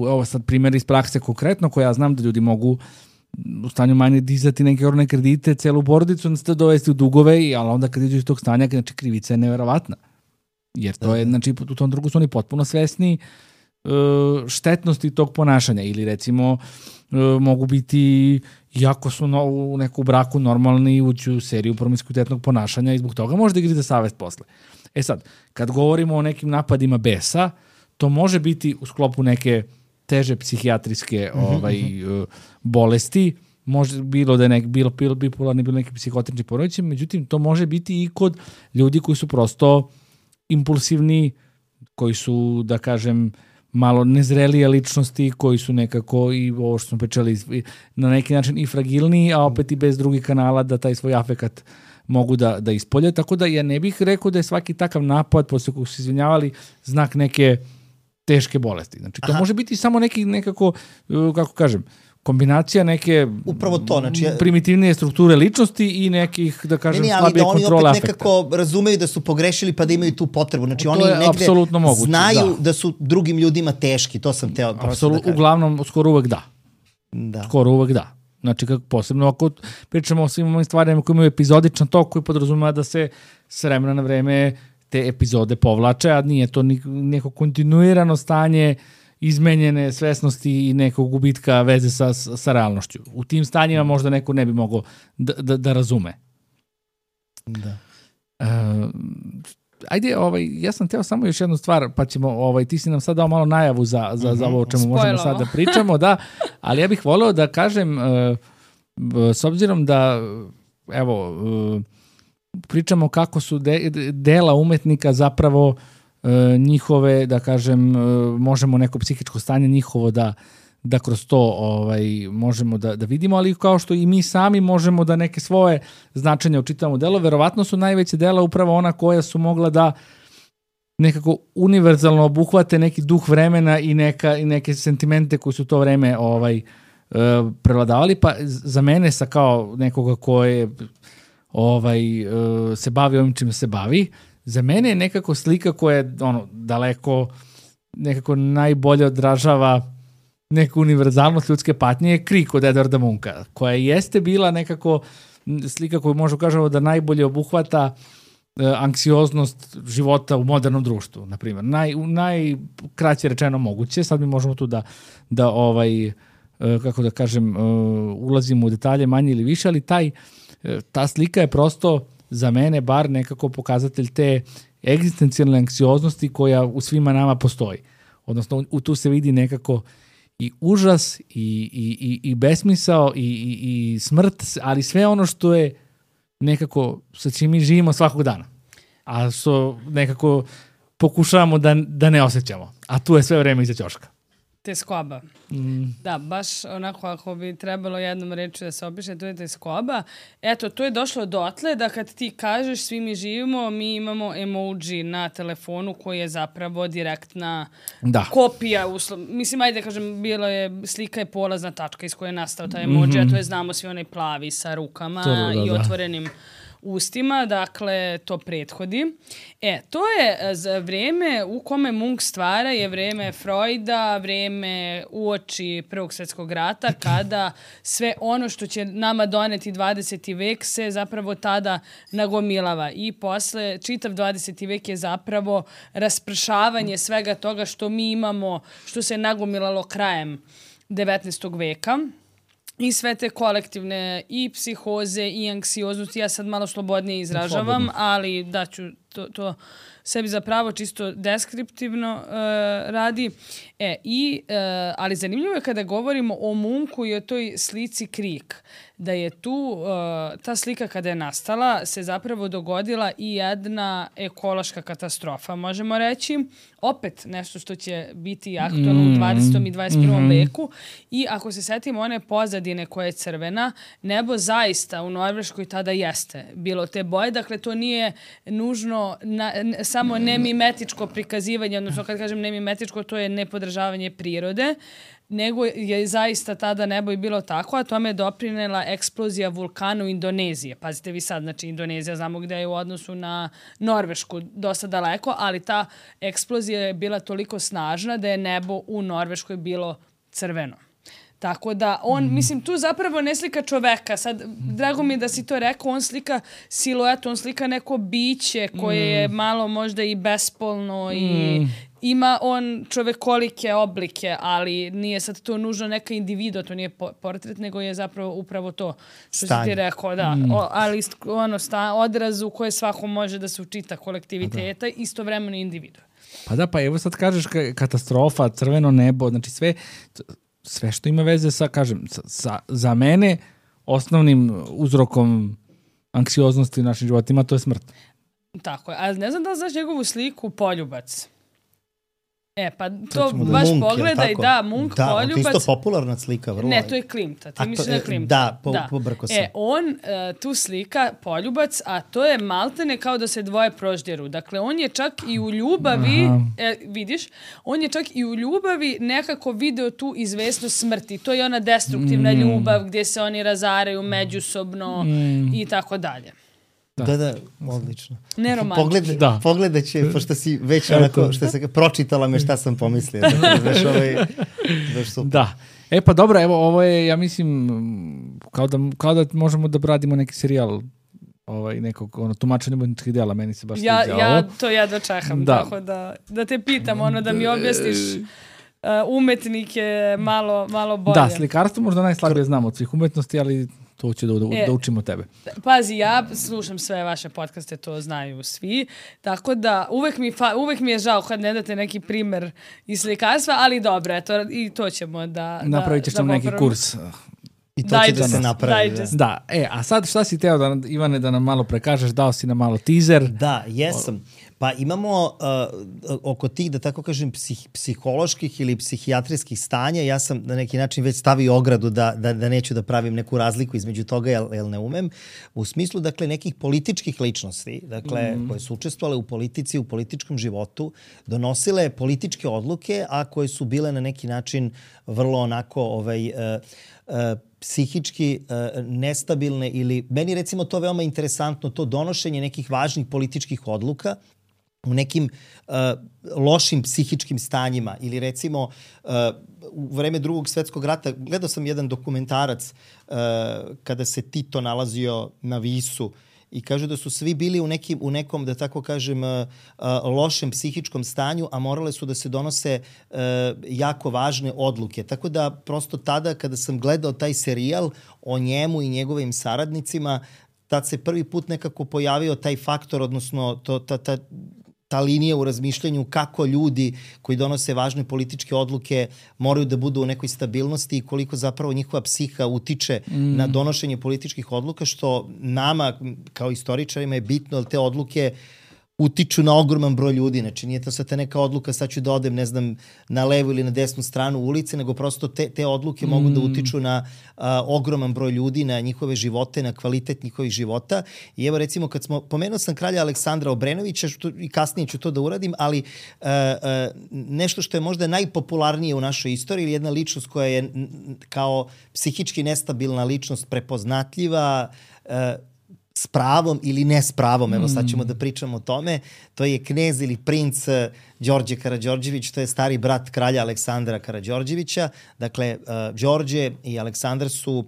evo sad primjer iz prakse konkretno, koja ja znam da ljudi mogu u stanju manje dizati neke orne kredite, celu porodicu, onda se dovesti u dugove, ali onda kad iđu iz tog stanja, znači krivica je neverovatna. Jer to je, znači, u tom drugu su oni potpuno svesni štetnosti tog ponašanja. Ili recimo mogu biti, iako su u neku braku normalni, ući u seriju promiskuitetnog ponašanja i zbog toga može da grize savest posle. E sad, kad govorimo o nekim napadima besa, to može biti u sklopu neke teže psihijatrijske bolesti, može bilo da je bilo bipolarni, bilo neki psihotični poremećaj, međutim to može biti i kod ljudi koji su prosto impulsivni, koji su, da kažem, malo nezrelije ličnosti, koji su nekako, i ovo što smo pričali, na neki način i fragilniji, a opet i bez drugih kanala da taj svoj afekat mogu da ispolje. Tako da ja ne bih rekao da je svaki takav napad, posle kog su izvinjavali, znak neke teške bolesti. Znači, to može biti samo nekako, kako kažem, kombinacija neke upravo to, znači, primitivnije strukture ličnosti i nekih, da kažem, slabije kontrole afekta. Oni opet nekako razumeju da su pogrešili pa da imaju tu potrebu. Znači, oni negde znaju da su drugim ljudima teški. To sam teo prosto da kažem. Uglavnom, skoro uvek da. Skoro uvek da. Znači, posebno ako pričamo o svim ovim stvarima koji imaju epizodičan tok koji podrazumeva da se s vremena na vreme te epizode povlače, a nije to neko kontinuirano stanje izmenjene svesnosti i nekog gubitka veze sa realnošću. U tim stanjima možda neko ne bi mogao da razume. Da. Ajde, ja sam teo samo još jednu stvar, pa ćemo, ti si nam sad dao malo najavu za ovo o čemu možemo sad da pričamo, da, ali ja bih voleo da kažem, s obzirom da, evo, pričamo kako su dela umetnika zapravo njihove, da kažem, možemo neko psihičko stanje njihovo da kroz to možemo da vidimo, ali kao što i mi sami možemo da neke svoje značenja učitamo delo, verovatno su najveće dela upravo ona koja su mogla da nekako univerzalno obuhvate neki duh vremena i neke sentimente koji su to vreme prevladavali, pa za mene kao nekoga koje se bavi ovim čim se bavi, za mene je nekako slika koja je daleko nekako najbolje odražava neku univerzalnost ljudske patnje je Krik od Edvarda Munka, koja jeste bila nekako slika koju možemo kažemo da najbolje obuhvata anksioznost života u modernom društvu, na primjer. Najkraće rečeno moguće, sad mi možemo tu da kako da kažem, ulazimo u detalje manje ili više, ali ta slika je prosto za mene bar nekako pokazatelj te egzistencijalne anksioznosti koja u svima nama postoji. Odnosno, tu se vidi nekako i užas i besmisao i smrt, ali sve ono što je nekako sa čim mi živimo svakog dana. A što nekako pokušavamo da ne osjećamo. A tu je sve vreme iza ćoška. Teskoba. Da, baš onako ako bi trebalo jednom reći da se opiše, to je teskoba. Eto, to je došlo dotle da kad ti kažeš svi mi živimo, mi imamo emoji na telefonu koji je zapravo direktna kopija. Mislim, ajde kažem, slika je polazna tačka iz koje je nastao taj emoji, a to je znamo svi onaj plavi sa rukama i otvorenim ustima, dakle, to prethodi. To je vreme u kome Munk stvara, je vreme Freuda, vreme uoči Prvog svjetskog rata, kada sve ono što će nama doneti 20. vek se zapravo tada nagomilava. I posle, čitav 20. vek je zapravo raspršavanje svega toga što mi imamo, što se nagomilalo krajem 19. veka. I sve te kolektivne i psihoze i anksioznosti, ja sad malo slobodnije izražavam, ali daću to sebi zapravo čisto deskriptivno radi. Ali zanimljivo je kada govorimo o Munku i o toj slici Krik, da je tu, ta slika kada je nastala, se zapravo dogodila i jedna ekološka katastrofa, možemo reći. Opet nešto što će biti aktualno u 20. i 21. veku. I ako se setimo one pozadine koja je crvena, nebo zaista u Norveškoj tada jeste bilo te boje. Dakle, to nije nužno samo nemimetičko prikazivanje, odnosno kad kažem nemimetičko, to je nepodržavanje prirode, nego je zaista tada nebo i bilo tako, a tome je doprinela eksplozija vulkana u Indonezije. Pazite vi sad, znači Indonezija znamo gde je u odnosu na Norvešku dosta daleko, ali ta eksplozija je bila toliko snažna da je nebo u Norveškoj bilo crveno. Tako da on, mislim, tu zapravo ne slika čoveka. Sad, drago mi je da si to rekao, on slika siluetu, on slika neko biće koje je malo možda i bespolno i ima on čovekolike oblike, ali nije sad to nužno neka individua, to nije portret, nego je zapravo upravo to što si ti rekao, da. Ali odraz u koje svako može da se učita kolektiviteta, istovremeno individua. Pa da, pa evo sad kažeš katastrofa, crveno nebo, znači sve što ima veze sa, kažem, za mene osnovnim uzrokom anksioznosti u našim životima, to je smrt. Tako je, ali ne znam da li znaš njegovu sliku Poljubac. Pa to baš pogledaj, Munk, Poljubac. Da, to je isto popularna slika, vrlo. Ne, to je Klimta, ti misliš na Klimta. Da, pobrko se. On tu slika Poljubac, a to je maltene kao da se dvoje proždjeru. Dakle, on je čak i u ljubavi, vidiš, on je čak i u ljubavi nekako video tu izvesnost smrti. To je ona destruktivna ljubav gdje se oni razaraju međusobno i tako dalje. Da, odlično. Neromantično. Pogledat će, pošto si već onako, što se pročitala me šta sam pomislio. Znaš, super. Da. Pa dobro, evo, ovo je, ja mislim, kao da možemo da radimo neki serijal nekog tumačenja umetničkih dela, meni se baš sviđa ovo. Ja to jedva čekam, tako da te pitam, da mi objasniš umetnike malo bolje. Da, slikarstvo možda najslabije znam od svih umetnosti, ali to ću da učimo tebe. Pazi, ja slušam sve vaše podcaste, to znaju svi, tako da uvek mi je žao kad ne date neki primer iz slikarstva, ali dobro, i to ćemo da napravit ćeš nam neki kurs. I to će da se napravi. Da, a sad šta si teo, Ivane, da nam malo prekažeš, dao si nam malo teaser. Da, jesam. Pa imamo oko tih, da tako kažem, psiholoških ili psihijatrijskih stanja, ja sam na neki način već stavio ogradu da neću da pravim neku razliku između toga, jer ne umem, u smislu, dakle, nekih političkih ličnosti, dakle, koje su učestvovale u politici, u političkom životu, donosile političke odluke, a koje su bile na neki način vrlo onako psihički nestabilne ili, meni recimo to veoma interesantno, to donošenje nekih važnih političkih odluka u nekim lošim psihičkim stanjima ili recimo u vreme Drugog svetskog rata gledao sam jedan dokumentarac kada se Tito nalazio na Visu i kažu da su svi bili u nekom, da tako kažem, lošem psihičkom stanju, a morale su da se donose jako važne odluke. Tako da prosto tada kada sam gledao taj serijal o njemu i njegovim saradnicima, tad se prvi put nekako pojavio taj faktor, odnosno ta linija u razmišljanju kako ljudi koji donose važne političke odluke moraju da budu u nekoj stabilnosti i koliko zapravo njihova psiha utiče na donošenje političkih odluka, što nama kao istoričarima je bitno, ali te odluke utiču na ogroman broj ljudi. Znači nije to sad neka odluka, sad ću da odem, ne znam, na levu ili na desnu stranu ulice, nego prosto te odluke mogu da utiču na ogroman broj ljudi, na njihove živote, na kvalitet njihovih života. I evo recimo kad pomenuo sam kralja Aleksandra Obrenovića, i kasnije ću to da uradim, ali nešto što je možda najpopularnije u našoj istoriji, jedna ličnost koja je kao psihički nestabilna ličnost, prepoznatljiva, s pravom ili ne s pravom, evo sad ćemo da pričamo o tome, to je knez ili princ Đorđe Karađorđević, to je stari brat kralja Aleksandra Karađorđevića. Dakle, Đorđe i Aleksandar su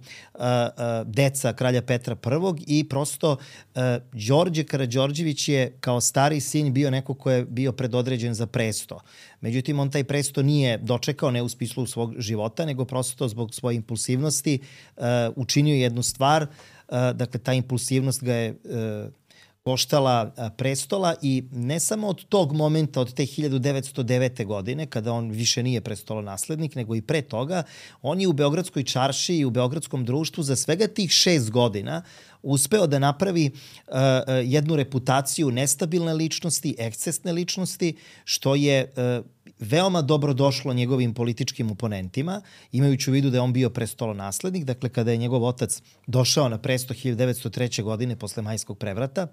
deca kralja Petra I i prosto Đorđe Karađorđević je kao stari sin bio neko ko je bio predodređen za presto. Međutim, on taj presto nije dočekao, ne u smislu svog života, nego prosto zbog svoje impulsivnosti učinio jednu stvar. Dakle, ta impulsivnost ga je koštala prestola i ne samo od tog momenta, od te 1909. godine, kada on više nije prestolonaslednik, nego i pre toga, on je u Beogradskoj čarši i u Beogradskom društvu za svega tih 6 godina uspeo da napravi jednu reputaciju nestabilne ličnosti, ekscesne ličnosti, što je veoma dobro došlo njegovim političkim oponentima, imajući u vidu da je on bio prestolonaslednik. Dakle, kada je njegov otac došao na presto 1903. godine posle Majskog prevrata,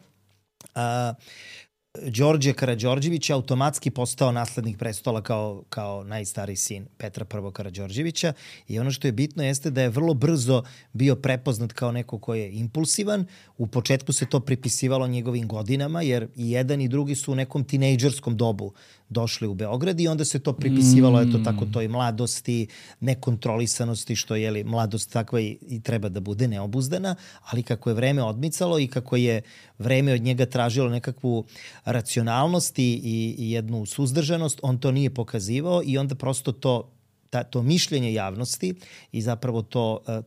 Đorđe Karađorđević je automatski postao naslednik prestola kao najstariji sin Petra I. Karađorđevića i ono što je bitno jeste da je vrlo brzo bio prepoznat kao neko ko je impulsivan. U početku se to pripisivalo njegovim godinama, jer i jedan i drugi su u nekom tinejdžerskom dobu došli u Beograd i onda se to pripisivalo eto tako toj mladosti, nekontrolisanosti, što je mladost takva i treba da bude neobuzdana, ali kako je vreme odmicalo i kako je vreme od njega tražilo nekakvu racionalnost i jednu suzdržanost, on to nije pokazivao i onda prosto to mišljenje javnosti i zapravo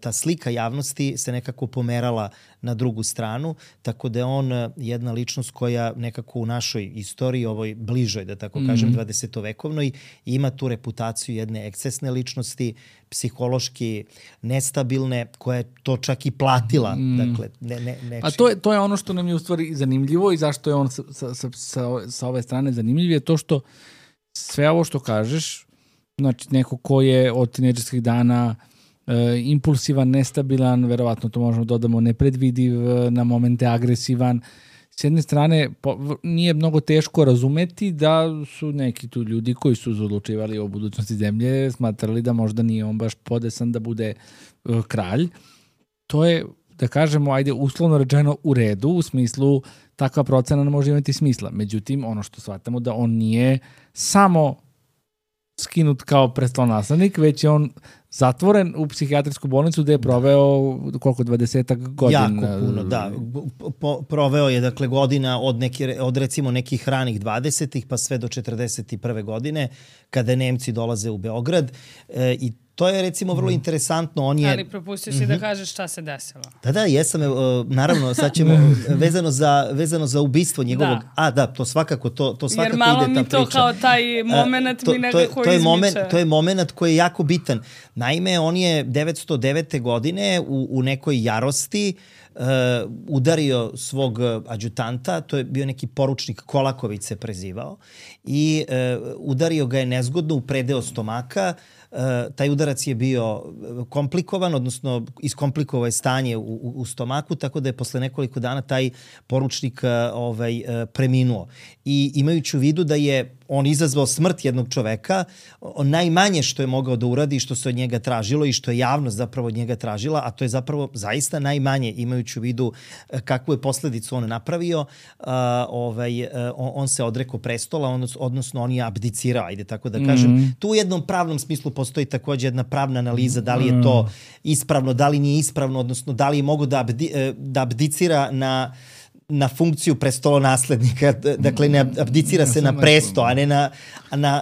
ta slika javnosti se nekako pomerala na drugu stranu, tako da je on jedna ličnost koja nekako u našoj istoriji, ovoj bližoj, da tako kažem, 20-vekovnoj, ima tu reputaciju jedne ekscesne ličnosti, psihološki nestabilne, koja je to čak i platila. Dakle, A to je ono što nam je u stvari zanimljivo i zašto je on sa ove strane zanimljiv, je to što sve ovo što kažeš, znači neko ko je od tinejdžerskih dana impulsivan, nestabilan, verovatno to možemo dodamo nepredvidiv, na momente agresivan. S jedne strane, nije mnogo teško razumeti da su neki tu ljudi koji su odlučivali o budućnosti zemlje smatrali da možda nije on baš podesan da bude kralj. To je, da kažemo, ajde, uslovno rečeno u redu, u smislu takva procena ne može imati smisla. Međutim, ono što shvatamo da on nije samo skinut kao prestolonaslednik, već je on zatvoren u psihijatrijsku bolnicu gde je proveo koliko, 20 godina. Jako puno, da. Proveo je dakle godina od recimo nekih ranih 20-ih pa sve do 41. godine kada Nemci dolaze u Beograd i to je recimo vrlo interesantno. Ali propustio si da kažeš šta se desilo. Da, jesam. Naravno, sad ćemo vezano za ubistvo njegovog... Da, to svakako, to svakako ide ta priča. Jer malo mi to kao taj moment mi nekako izmiče. To je moment koji je jako bitan. Naime, on je 909. godine u nekoj jarosti udario svog adjutanta, to je bio neki poručnik Kolaković se prezivao, i udario ga je nezgodno u predeo stomaka. Taj udarac je bio komplikovan, odnosno iskomplikovao je stanje u stomaku, tako da je posle nekoliko dana taj poručnik preminuo. I imajući u vidu da je on izazvao smrt jednog čoveka, najmanje što je mogao da uradi, što se od njega tražilo i što je javnost zapravo od njega tražila, a to je zapravo zaista najmanje, imajući imajući u vidu kakvu je posledicu on napravio, on se odrekao prestola, odnosno on je abdicirao, ajde tako da kažem. Tu u jednom pravnom smislu postoji takođe jedna pravna analiza, da li je to ispravno, da li nije ispravno, odnosno da li je mogu da abdicira na funkciju prestolonaslednika, dakle ne abdicira se na presto, a ne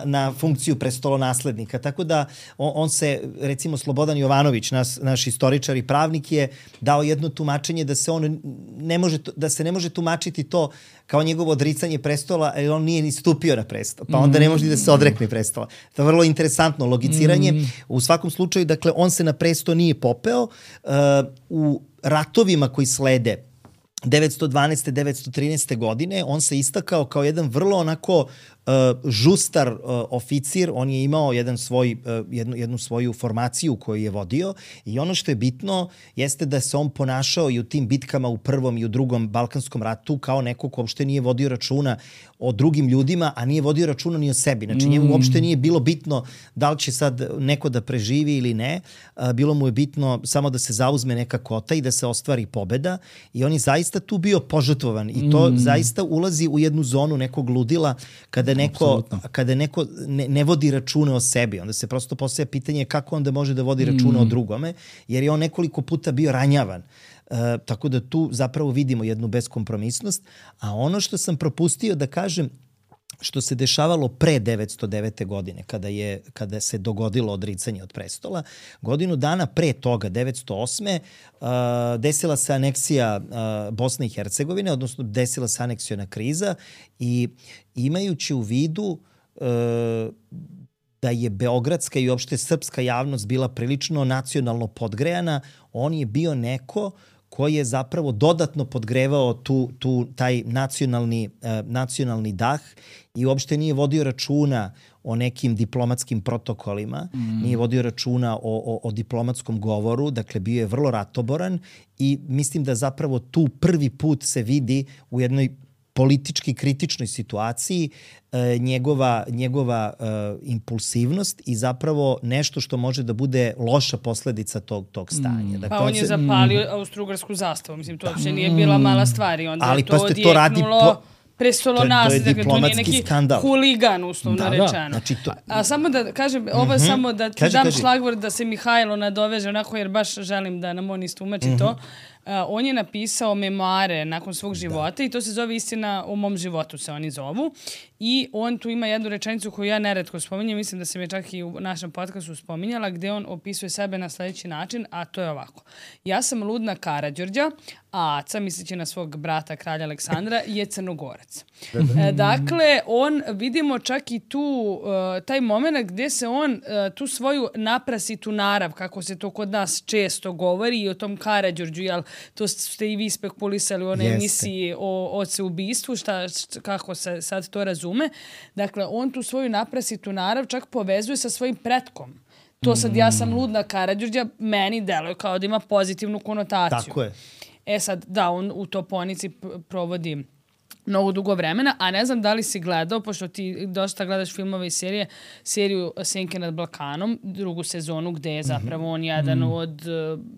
na funkciju prestolonaslednika. Tako da on se, recimo Slobodan Jovanović, naš istoričar i pravnik, je dao jedno tumačenje da se ne može tumačiti to kao njegovo odricanje prestola, jer on nije ni stupio na prestol, pa onda ne može da se odrekne prestola. To je vrlo interesantno logiciranje. U svakom slučaju, dakle, on se na presto nije popeo. U ratovima koji slede 912. 913. godine on se istakao kao jedan vrlo onako žustar oficir. On je imao jednu svoju formaciju koju je vodio i ono što je bitno jeste da se on ponašao i u tim bitkama u Prvom i u Drugom Balkanskom ratu kao neko ko uopšte nije vodio računa o drugim ljudima, a nije vodio računa ni o sebi. Znači njemu uopšte nije bilo bitno da li će sad neko da preživi ili ne. Bilo mu je bitno samo da se zauzme neka kota i da se ostvari pobeda i on je zaista tu bio požrtvovan i to zaista ulazi u jednu zonu nekog ludila kada neko ne vodi računa o sebi. Onda se prosto postavlja pitanje kako onda može da vodi računa o drugome, jer je on nekoliko puta bio ranjavan. Tako da tu zapravo vidimo jednu beskompromisnost. A ono što sam propustio da kažem, što se dešavalo pre 909. godine, kada se dogodilo odricanje od prestola, godinu dana pre toga, 908. Desila se aneksija Bosne i Hercegovine, odnosno desila se aneksiona kriza i imajući u vidu da je beogradska i uopšte srpska javnost bila prilično nacionalno podgrejana, on je bio neko koji je zapravo dodatno podgrevao taj nacionalni dah i uopšte nije vodio računa o nekim diplomatskim protokolima, nije vodio računa o diplomatskom govoru, dakle bio je vrlo ratoboran i mislim da zapravo tu prvi put se vidi u jednoj politički kritičnoj situaciji njegova impulsivnost i zapravo nešto što može da bude loša posledica tog stanja. Dakle, pa on je zapalio austrougarsku zastavu. Mislim, to uopšte nije bila mala stvar i onda je to odjeknulo prestolonaslednik. To je diplomatski neki skandal. Huligan, uslovno rečeno. Znači a samo da kažem, ovo samo da ti dam šlagvor da se Mihajlo nadoveže onako, jer baš želim da nam on istumači to. On je napisao memoare nakon svog života i to se zove Istina o mom životu, se oni zovu. I on tu ima jednu rečenicu koju ja neretko spominjem, mislim da sam je čak i u našem podcastu spominjala, gde on opisuje sebe na sledeći način, a to je ovako. Ja sam ludna Karađorđa, a Aca, misleći na svog brata kralja Aleksandra, je Crnogorac. Dakle, on, vidimo čak i tu taj moment gde se on tu svoju naprasitu narav, kako se to kod nas često govori, i o tom Karađorđu, jel, to ste i vi spekulisali u onoj emisiji o oceubistvu, kako se sad to razume. Dakle, on tu svoju naprasitu narav čak povezuje sa svojim pretkom. To sad, ja sam ludna Karađorđa, meni deluje kao da ima pozitivnu konotaciju. Tako je. Sad, da, on u Toponici provodi mnogo dugo vremena, a ne znam da li si gledao, pošto ti dosta gledaš filmove i seriju Senke nad Balkanom, drugu sezonu, gde je zapravo on jedan od,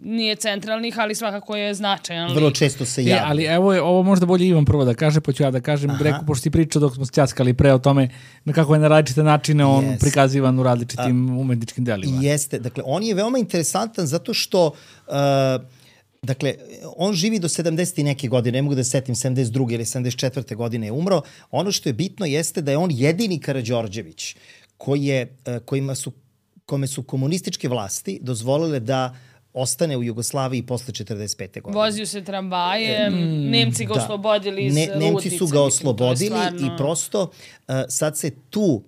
nije centralnih, ali svakako je značajan. Vrlo često se javi. Ali evo je, ovo možda bolje Ivan prvo da kaže, pa ću ja da kažem, Reku, pošto si pričao dok smo se ćaskali pre o tome na kako je na različite načine on prikazivan u različitim umetničkim delima. Jeste, dakle, on je veoma interesantan zato što dakle, on živi do 70 i neke godine, ne mogu da se setim, 72. ili 74. godine je umro. Ono što je bitno jeste da je on jedini Karađorđević kome su komunističke vlasti dozvolile da ostane u Jugoslaviji posle 45. godine. Vozio se tramvajem, Nemci ga oslobodili iz Ludnice. Nemci su ga oslobodili i prosto sad se tu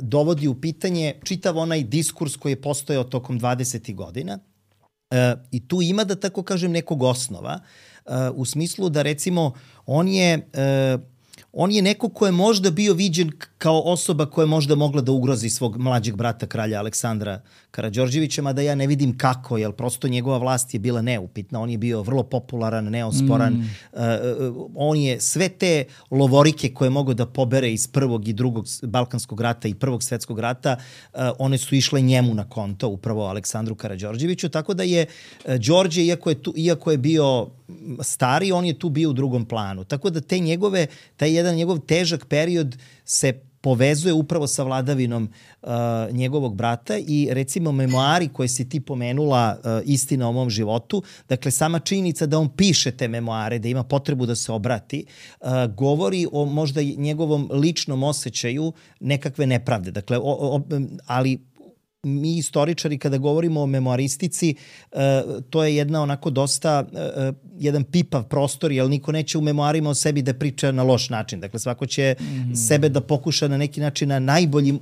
dovodi u pitanje čitav onaj diskurs koji je postojao tokom 20. godina. I tu ima, da tako kažem, nekog osnova, u smislu da recimo on on je neko ko je možda bio viđen kao osoba koja je možda mogla da ugrozi svog mlađeg brata kralja Aleksandra Karađorđevića, mada ja ne vidim kako, jer prosto njegova vlast je bila neupitna, on je bio vrlo popularan, neosporan, on je sve te lovorike koje mogu da pobere iz prvog i drugog Balkanskog rata i prvog svetskog rata, one su išle njemu na konto, upravo Aleksandru Karađorđeviću, tako da je Đorđe, iako je bio stari, on je tu bio u drugom planu. Tako da taj jedan njegov težak period se povezuje upravo sa vladavinom njegovog brata i recimo memoari koje si ti pomenula, Istina o mom životu, dakle sama činjenica da on piše te memoare, da ima potrebu da se obrati, govori o možda njegovom ličnom osjećaju nekakve nepravde. Dakle, ali mi istoričari kada govorimo o memoaristici, to je jedna onako dosta, jedan pipav prostor, jer niko neće u memoarima o sebi da priča na loš način. Dakle, svako će sebe da pokuša na neki način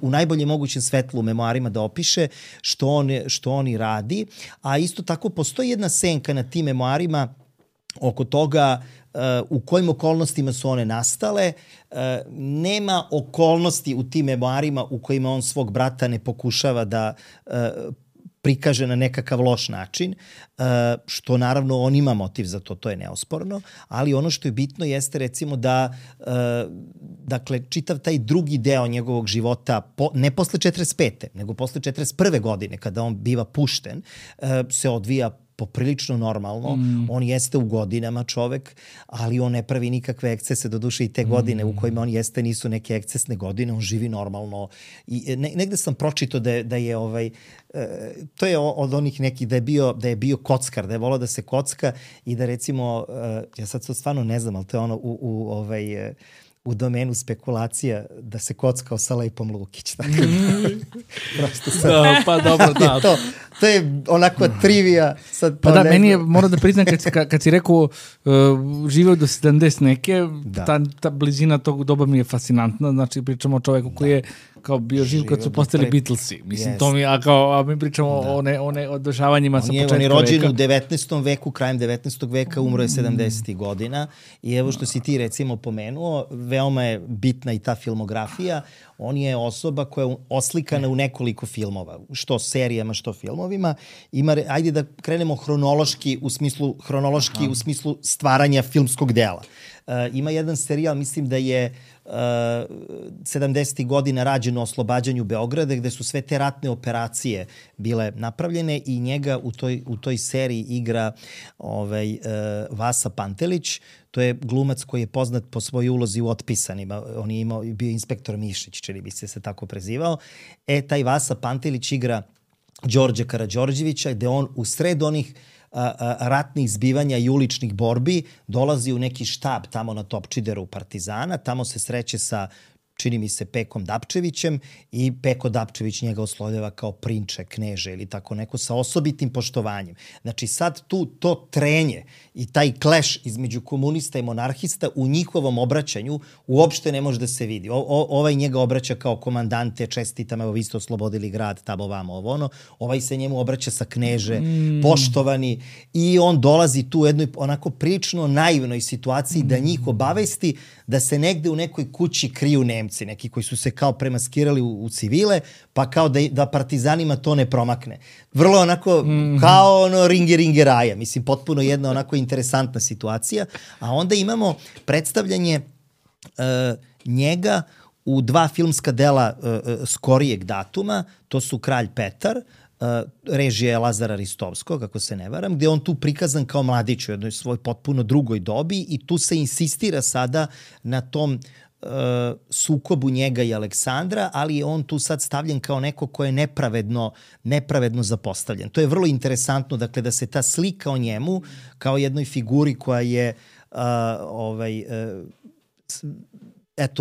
u najboljem mogućem svetlu u memoarima da opiše što on radi. A isto tako postoji jedna senka na tim memoarima oko toga u kojim okolnostima su one nastale. Nema okolnosti u tim memoarima u kojima on svog brata ne pokušava da prikaže na nekakav loš način, što naravno on ima motiv za to je neosporno, ali ono što je bitno jeste recimo da dakle, čitav taj drugi deo njegovog života, ne posle 45. nego posle 41. godine kada on biva pušten, se odvija poprilično normalno. On jeste u godinama čovek, ali on ne pravi nikakve ekscese, doduše i te godine u kojima on jeste nisu neke ekscesne godine, on živi normalno. I negde sam pročitao da je to je od onih nekih da je bio kockar, da je volao da se kocka i da recimo, ja sad to stvarno ne znam, ali to je ono u domenu spekulacija da se kockao sa Lepom Lukić. Tako prosto sad. Da, pa dobro, da. To je onako trivija. Sad pa da, meni je, moram da priznam, kad si rekao živeo do 70 neke, ta blizina tog doba mi je fascinantna. Znači, pričamo o čoveku koji je kao bio živ kad su postali Beatlesi. Mislim, to mi, a mi pričamo o dešavanjima sa početka veka. On je rođen u 19. veku, krajem 19. veka, umro je 70. godina. I evo što si ti recimo pomenuo, veoma je bitna i ta filmografija. On je osoba koja je oslikana u nekoliko filmova, što serijama, što filmovima. Ajde da krenemo hronološki u smislu stvaranja filmskog dela. Ima jedan serijal, mislim da je 70. godina rađen o oslobađanju Beograda, gde su sve te ratne operacije bile napravljene i njega u toj seriji igra Vasa Pantelić. To je glumac koji je poznat po svojoj ulozi u Otpisanima. On je bio inspektor Mišić, čini bi se tako prezivao. Taj Vasa Pantelić igra Đorđa Karađorđevića, gde on u sred onih ratnih zbivanja i uličnih borbi dolazi u neki štab tamo na Topčideru Partizana, tamo se sreće sa, čini mi se, Pekom Dapčevićem i Peko Dapčević njega oslovljava kao prinče, kneže ili tako neko sa osobitim poštovanjem. Znači sad to trenje i taj kleš između komunista i monarhista u njihovom obraćanju uopšte ne može da se vidi. Ovaj njega obraća kao komandante, čestitam, evo vi ste oslobodili grad, tamo vamo, ovo ono. Ovaj se njemu obraća sa kneže, poštovani, i on dolazi tu u jednoj onako prilično naivnoj situaciji da njih obavesti da se negde u nekoj kući kriju Nemci, neki koji su se kao premaskirali u civile, pa kao da partizanima to ne promakne. Vrlo onako kao ono ringe raja. Mislim, potpuno jedna onako interesantna situacija. A onda imamo predstavljanje njega u dva filmska dela skorijeg datuma. To su Kralj Petar, režije Lazara Ristovskog, ako se ne varam, gde on tu prikazan kao mladić u jednoj svoj potpuno drugoj dobi i tu se insistira sada na tom sukobu njega i Aleksandra, ali je on tu sad stavljen kao neko ko je nepravedno zapostavljen. To je vrlo interesantno, dakle, da se ta slika o njemu kao jednoj figuri koja je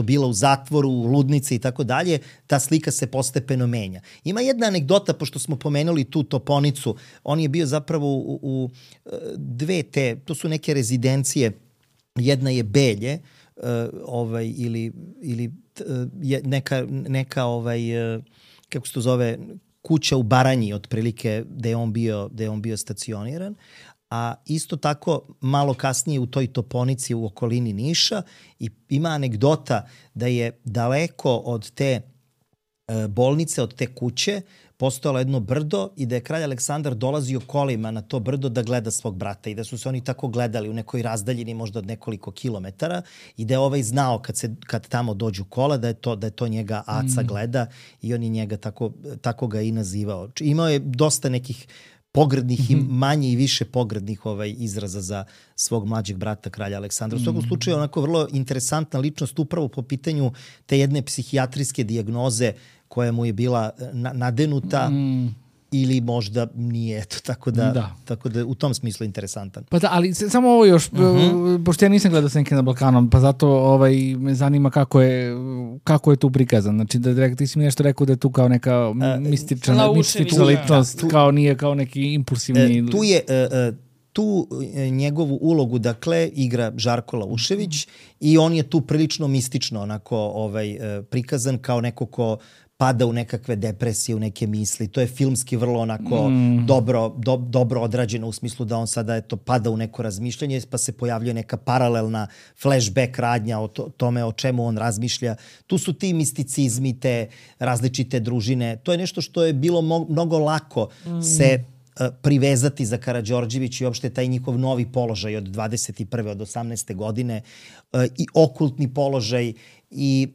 bila u zatvoru, u ludnici i tako dalje, ta slika se postepeno menja. Ima jedna anegdota, pošto smo pomenuli tu Toponicu, on je bio zapravo u dve to su neke rezidencije, jedna je Belje, ili neka kako se to zove, kuća u Baranji, otprilike, gde je on bio stacioniran, a isto tako malo kasnije u toj toponici u okolini Niša i ima anegdota da je daleko od te bolnice, od te kuće, postojalo jedno brdo i da je kralj Aleksandar dolazio kolima na to brdo da gleda svog brata i da su se oni tako gledali u nekoj razdaljini možda od nekoliko kilometara i da je ovaj znao kad tamo dođu kola da je to njega Aca gleda i on je njega tako ga i nazivao. Imao je dosta nekih pogrdnih i manje i više pogrdnih izraza za svog mlađeg brata kralja Aleksandra. U svakom slučaju onako vrlo interesantna ličnost upravo po pitanju te jedne psihijatrijske dijagnoze koja mu je bila nadenuta ili možda nije, eto, tako da u tom smislu interesantan. Pa da, ali samo ovo još, pošto ja nisam gledao Senke na Balkanom, pa zato me zanima kako je tu prikazan. Znači, ti si mi nešto rekao da je tu kao neka mistična ličnost, kao nije kao neki impulsivni... Tu njegovu ulogu, dakle, igra Žarko Laušević i on je tu prilično mistično onako prikazan kao neko ko pada u nekakve depresije, u neke misli. To je filmski vrlo onako dobro odrađeno u smislu da on sada pada u neko razmišljanje pa se pojavljuje neka paralelna flashback radnja o tome o čemu on razmišlja. Tu su ti misticizmi, te različite družine. To je nešto što je bilo mnogo lako se privezati za Karađorđević i uopšte taj njihov novi položaj od 21. od 18. godine i okultni položaj i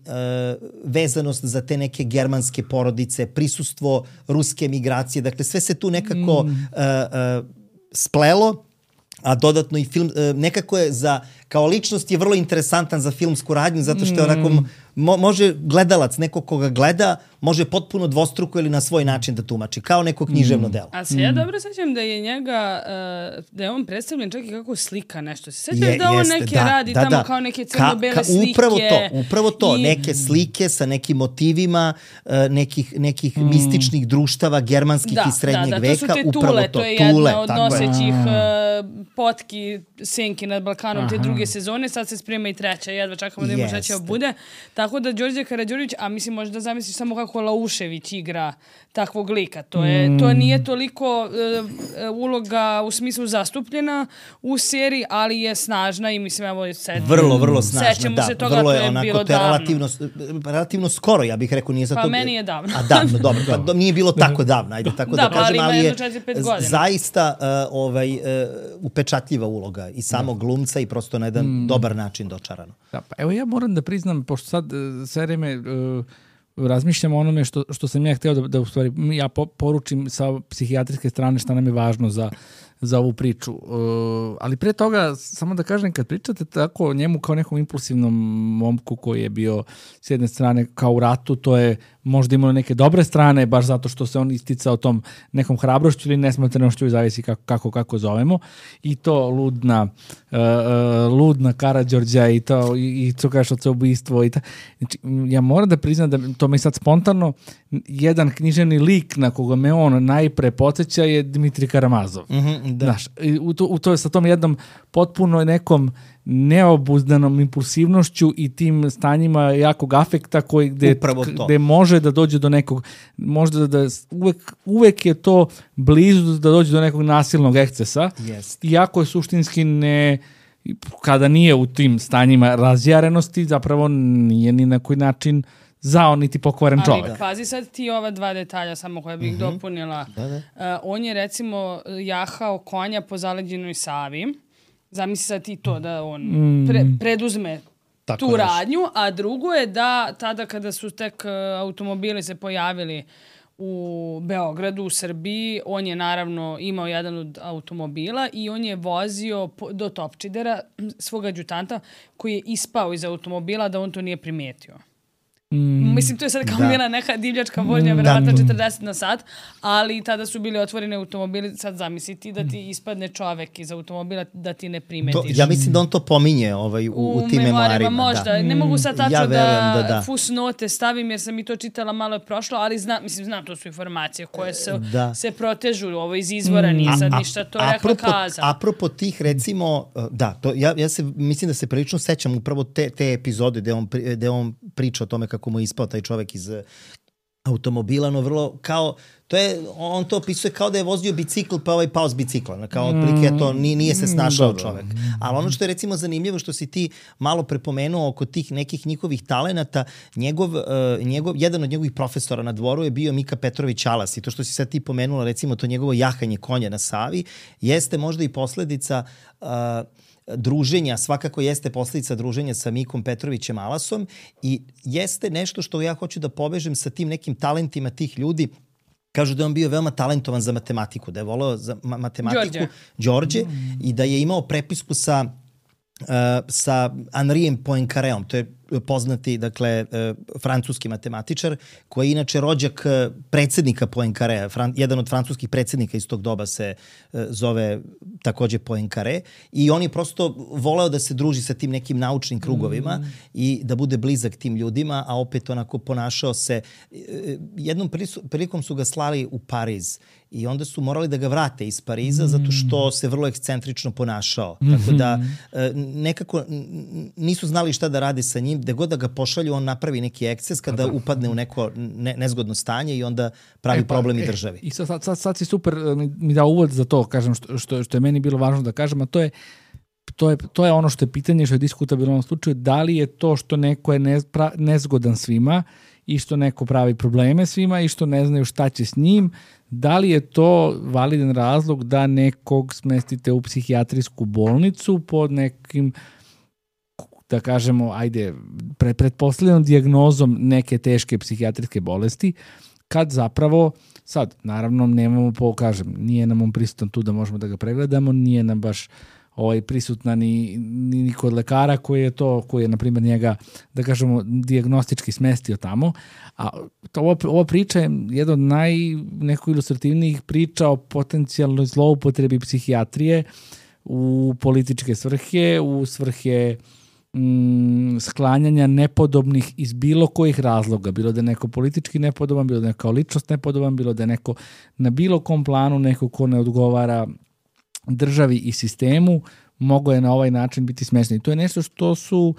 vezanost za te neke germanske porodice, prisustvo ruske migracije. Dakle, sve se tu nekako splelo, a dodatno i film, nekako je kao ličnost je vrlo interesantan za filmsku radnju, zato što je onako, može gledalac, neko koga gleda, može potpuno dvostruko ili na svoj način da tumači, kao neko književno delo. A se ja dobro sećam da je njega, da je on predstavljen čak i kako slika nešto. Se sećaš da on neke radi tamo kao neke crno-bele slike? Upravo to, neke slike sa nekim motivima nekih mističnih društava germanskih i srednjeg veka. To su te tule, to je jedna od nosećih potki Senki nad Balkanom te druge sezone, sad se sprema i treća, jedva čekamo da ima šta bude. Tako da Đorđe Karađorđević, a mislim možda zamisliš samo kako Laušević igra takvog lika. To nije toliko uloga u smislu zastupljena u seriji, ali je snažna i mislim evo vrlo snažna. Sećamo se toga, vrlo je onako, bilo davno. Relativno skoro, ja bih rekao, nije zato... Pa meni je davno. A davno, dobro, pa nije bilo tako davno, ajde tako da kažem, ali je zaista upečatljiva uloga i samog glumca i prosto na jedan dobar način dočarano. Da, pa evo ja moram da priznam, pošto sad sve vreme razmišljam o onome što sam ja hteo da u stvari ja poručim sa psihijatrijske strane šta nam je važno za ovu priču. Ali pre toga, samo da kažem, kad pričate tako o njemu kao nekom impulsivnom momku koji je bio s jedne strane kao u ratu, to je možda imalo neke dobre strane, baš zato što se on isticao tom nekom hrabrošću ili nesmotrenošću, zavisi kako zovemo. I to ludna Karađorđa i to kažeš od ubistvo. Znači, ja moram da priznam da to mi sad spontano jedan književni lik na koga me on najpre podsjeća je Dmitrij Karamazov. Znaš, to je sa tom jednom potpuno nekom neobuzdanom impulsivnošću i tim stanjima jakog afekta gde može da dođe do nekog, možda da uvek je to blizu da dođe do nekog nasilnog ekscesa, iako je suštinski kada nije u tim stanjima razjarenosti, zapravo nije ni na koji način zao niti pokvaren čovek. Ali pazi sad ti ova dva detalja samo koja bih dopunila. On je recimo jahao konja po zaleđenoj Savi. Zamisli sad ti to da on preduzme tu radnju, a drugo je da tada kada su tek automobili se pojavili u Beogradu, u Srbiji, on je naravno imao jedan od automobila i on je vozio do Topčidera svog adjutanta koji je ispao iz automobila da on to nije primetio. Mislim, to je sad kao bila neka divljačka vožnja, verovatno 40 na sat, ali tada su bili otvoreni automobili, sad zamisliti da ti ispadne čovek iz automobila da ti ne primetiš. Ja mislim da on to pominje u tim memoarima. Možda, ne mogu sad tačno da fusnote stavim jer sam i to čitala, malo je prošlo, ali znam, to su informacije koje se protežu, ovo iz izvora, nije sad ništa to rekla kaza. Apropo tih, recimo, ja se mislim da se prilično sećam upravo te epizode gde on priča o tome kako mu je ispao taj čovek iz automobila, no vrlo kao, on to opisuje kao da je vozio bicikl pa pao s bicikla. Kao otprilike to nije se snašao čovek. Ali ono što je recimo zanimljivo što si ti malo prepomenuo oko tih nekih njihovih talenata, jedan od njegovih profesora na dvoru je bio Mika Petrović Alas i to što si sad ti pomenula recimo to njegovo jahanje konja na Savi jeste možda i posledica druženja, svakako jeste posledica druženja sa Mikom Petrovićem Alasom i jeste nešto što ja hoću da povežem sa tim nekim talentima tih ljudi. Kažu da je on bio veoma talentovan za matematiku, da je voleo za matematiku Đorđe i da je imao prepisku sa Henrijem Poincareom, to je poznati, dakle, francuski matematičar, koji je inače rođak predsednika Poincarea. Jedan od francuskih predsednika iz tog doba se zove takođe Poincare i on je prosto voleo da se druži sa tim nekim naučnim krugovima i da bude blizak tim ljudima, a opet onako ponašao se. Jednom prilikom su ga slali u Pariz i onda su morali da ga vrate iz Pariza zato što se vrlo ekscentrično ponašao. Tako da nekako nisu znali šta da rade sa njim. Gde god da ga pošalju, on napravi neki eksces kada upadne u neko nezgodno stanje i onda pravi problem i državi. I sad si super mi dao uvod za to, kažem, što je meni bilo važno da kažem, a to je ono što je pitanje, što je diskutabilno u ovom slučaju, da li je to što neko je nezgodan svima i što neko pravi probleme svima i što ne znaju šta će s njim, da li je to validan razlog da nekog smestite u psihijatrijsku bolnicu pod nekim, da kažemo, pretpostavljenom dijagnozom neke teške psihijatrijske bolesti, kad zapravo, sad, naravno, nemamo nije nam on prisutan tu da možemo da ga pregledamo, nije nam baš prisutna ni kod lekara koji je, na primjer, njega, da kažemo, dijagnostički smestio tamo. A ova priča je jedna od nekako ilustrativnijih priča o potencijalnoj zloupotrebi psihijatrije u političke svrhe, u svrhe sklanjanja nepodobnih iz bilo kojih razloga. Bilo da je neko politički nepodoban, bilo da je kao ličnost nepodoban, bilo da je neko na bilo kom planu neko ko ne odgovara državi i sistemu, mogo je na ovaj način biti smešno. I to je nešto što su,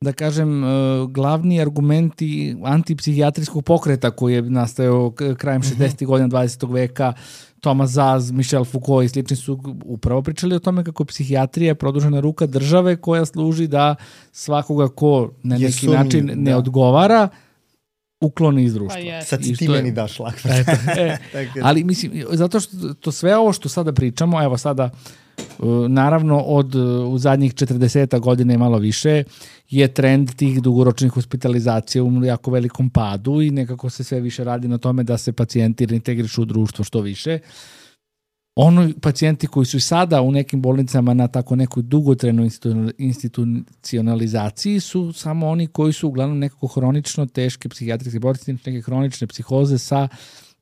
da kažem, glavni argumenti antipsihijatrijskog pokreta koji je nastajao krajem 60. godina 20. veka. Thomas Zaz, Michel Foucault i slični su upravo pričali o tome kako psihijatrija je produžena ruka države koja služi da svakoga ko na neki način ne odgovara ukloni iz društva. Sad si ti meni daš šlag. Ali mislim, zato što to sve ovo što sada pričamo, evo sada, naravno u zadnjih 40 godina i malo više je trend tih dugoročnih hospitalizacija u jako velikom padu i nekako se sve više radi na tome da se pacijenti reintegrišu u društvo što više. Pacijenti koji su sada u nekim bolnicama na tako nekoj dugotrajnoj institucionalizaciji su samo oni koji su uglavnom nekako hronično teške psihijatrijske bolesti, neke hronične psihoze sa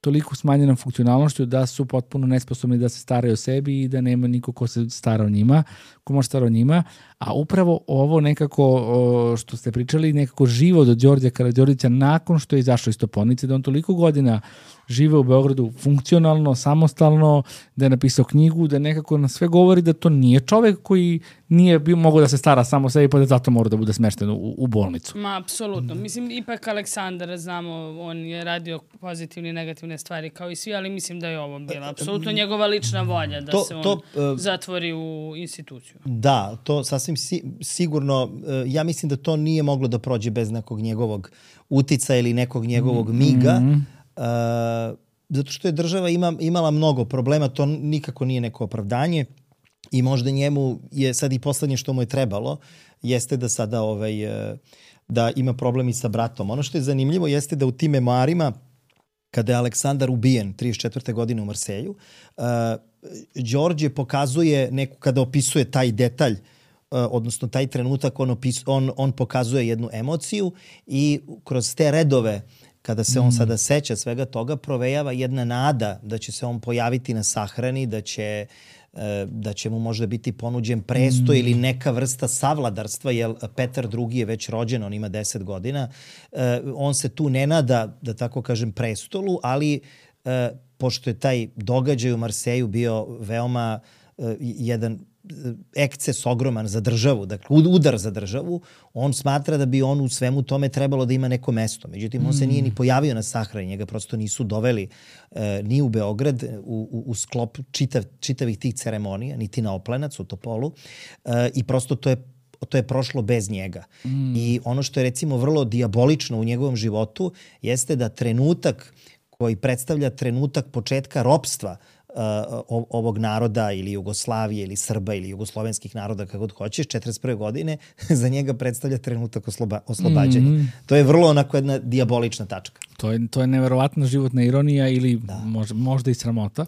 toliko smanjenom funkcionalnošću da su potpuno nesposobni da se staraju o sebi i da nema niko ko se stara o njima, ko može stara o njima. A upravo ovo nekako što ste pričali, nekako život od Đorđa Karađorđevića nakon što je izašao iz Toponice, da on toliko godina žive u Beogradu funkcionalno, samostalno, da je napisao knjigu, da nekako na sve govori da to nije čovek koji nije mogao da se stara samo o sebi, pa da zato mora da bude smešten u bolnicu. Apsolutno. Mislim, ipak Aleksandar, znamo, on je radio pozitivne i negativne stvari kao i svi, ali mislim da je ovo bila apsolutno njegova lična volja da se on zatvori u instituciju. Da, to sasvim sigurno, ja mislim da to nije moglo da prođe bez nekog njegovog utica ili nekog njegovog miga, zato što je država imala mnogo problema, to nikako nije neko opravdanje i možda njemu je sad i poslednje što mu je trebalo jeste da sada da ima problem i sa bratom. Ono što je zanimljivo jeste da u tim memoarima kada je Aleksandar ubijen 34. godine u Marselju, Đorđe pokazuje kada opisuje taj detalj, odnosno taj trenutak, on pokazuje jednu emociju i kroz te redove, kada se on sada seća svega toga, provejava jedna nada da će se on pojaviti na sahrani, da će mu možda biti ponuđen presto ili neka vrsta savladarstva, jer Petar II je već rođen, on ima 10 godina. On se tu ne nada, da tako kažem, prestolu, ali pošto je taj događaj u Marseju bio veoma jedan eksces ogroman za državu, dakle udar za državu, on smatra da bi on u svemu tome trebalo da ima neko mesto. Međutim, on se nije ni pojavio na sahrani, njega prosto nisu doveli ni u Beograd u sklop čitavih tih ceremonija, niti na Oplenac u Topolu i prosto to je prošlo bez njega. I ono što je recimo vrlo dijabolično u njegovom životu jeste da trenutak koji predstavlja trenutak početka ropstva ovog naroda ili Jugoslavije ili Srba ili jugoslovenskih naroda, kako god hoćeš, 41. godine, za njega predstavlja trenutak oslobađanja. To je vrlo onako jedna dijabolična tačka. To je neverovatna životna ironija ili možda i sramota.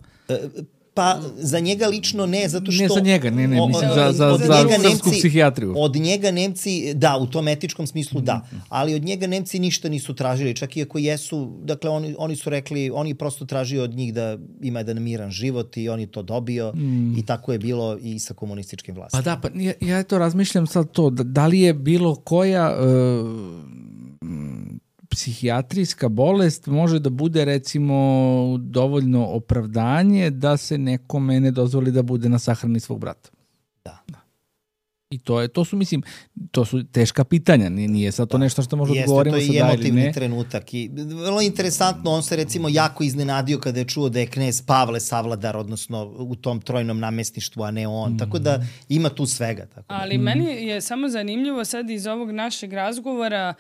Pa za njega lično ne, zato što... Ne za njega, mislim za srpsku psihijatriju. Od njega Nemci, da, u tom etičkom smislu da, ali od njega Nemci ništa nisu tražili, čak i ako jesu, dakle oni su rekli, oni prosto tražio od njih da ima jedan miran život i on je to dobio i tako je bilo i sa komunističkim vlastima. Pa da, ja to razmišljam sad to, da li je bilo koja... psihijatrijska bolest može da bude recimo dovoljno opravdanje da se nekome ne dozvoli da bude na sahrani svog brata. Da. I to su teška pitanja, nije sad to nešto što možda odgovorimo sad da ili ne. Jeste, to je i emotivni trenutak. I vrlo interesantno, on se recimo jako iznenadio kada je čuo da je knez Pavle savladar, odnosno u tom trojnom namestništvu, a ne on. Tako da ima tu svega. Tako da. Ali meni je samo zanimljivo sad iz ovog našeg razgovora,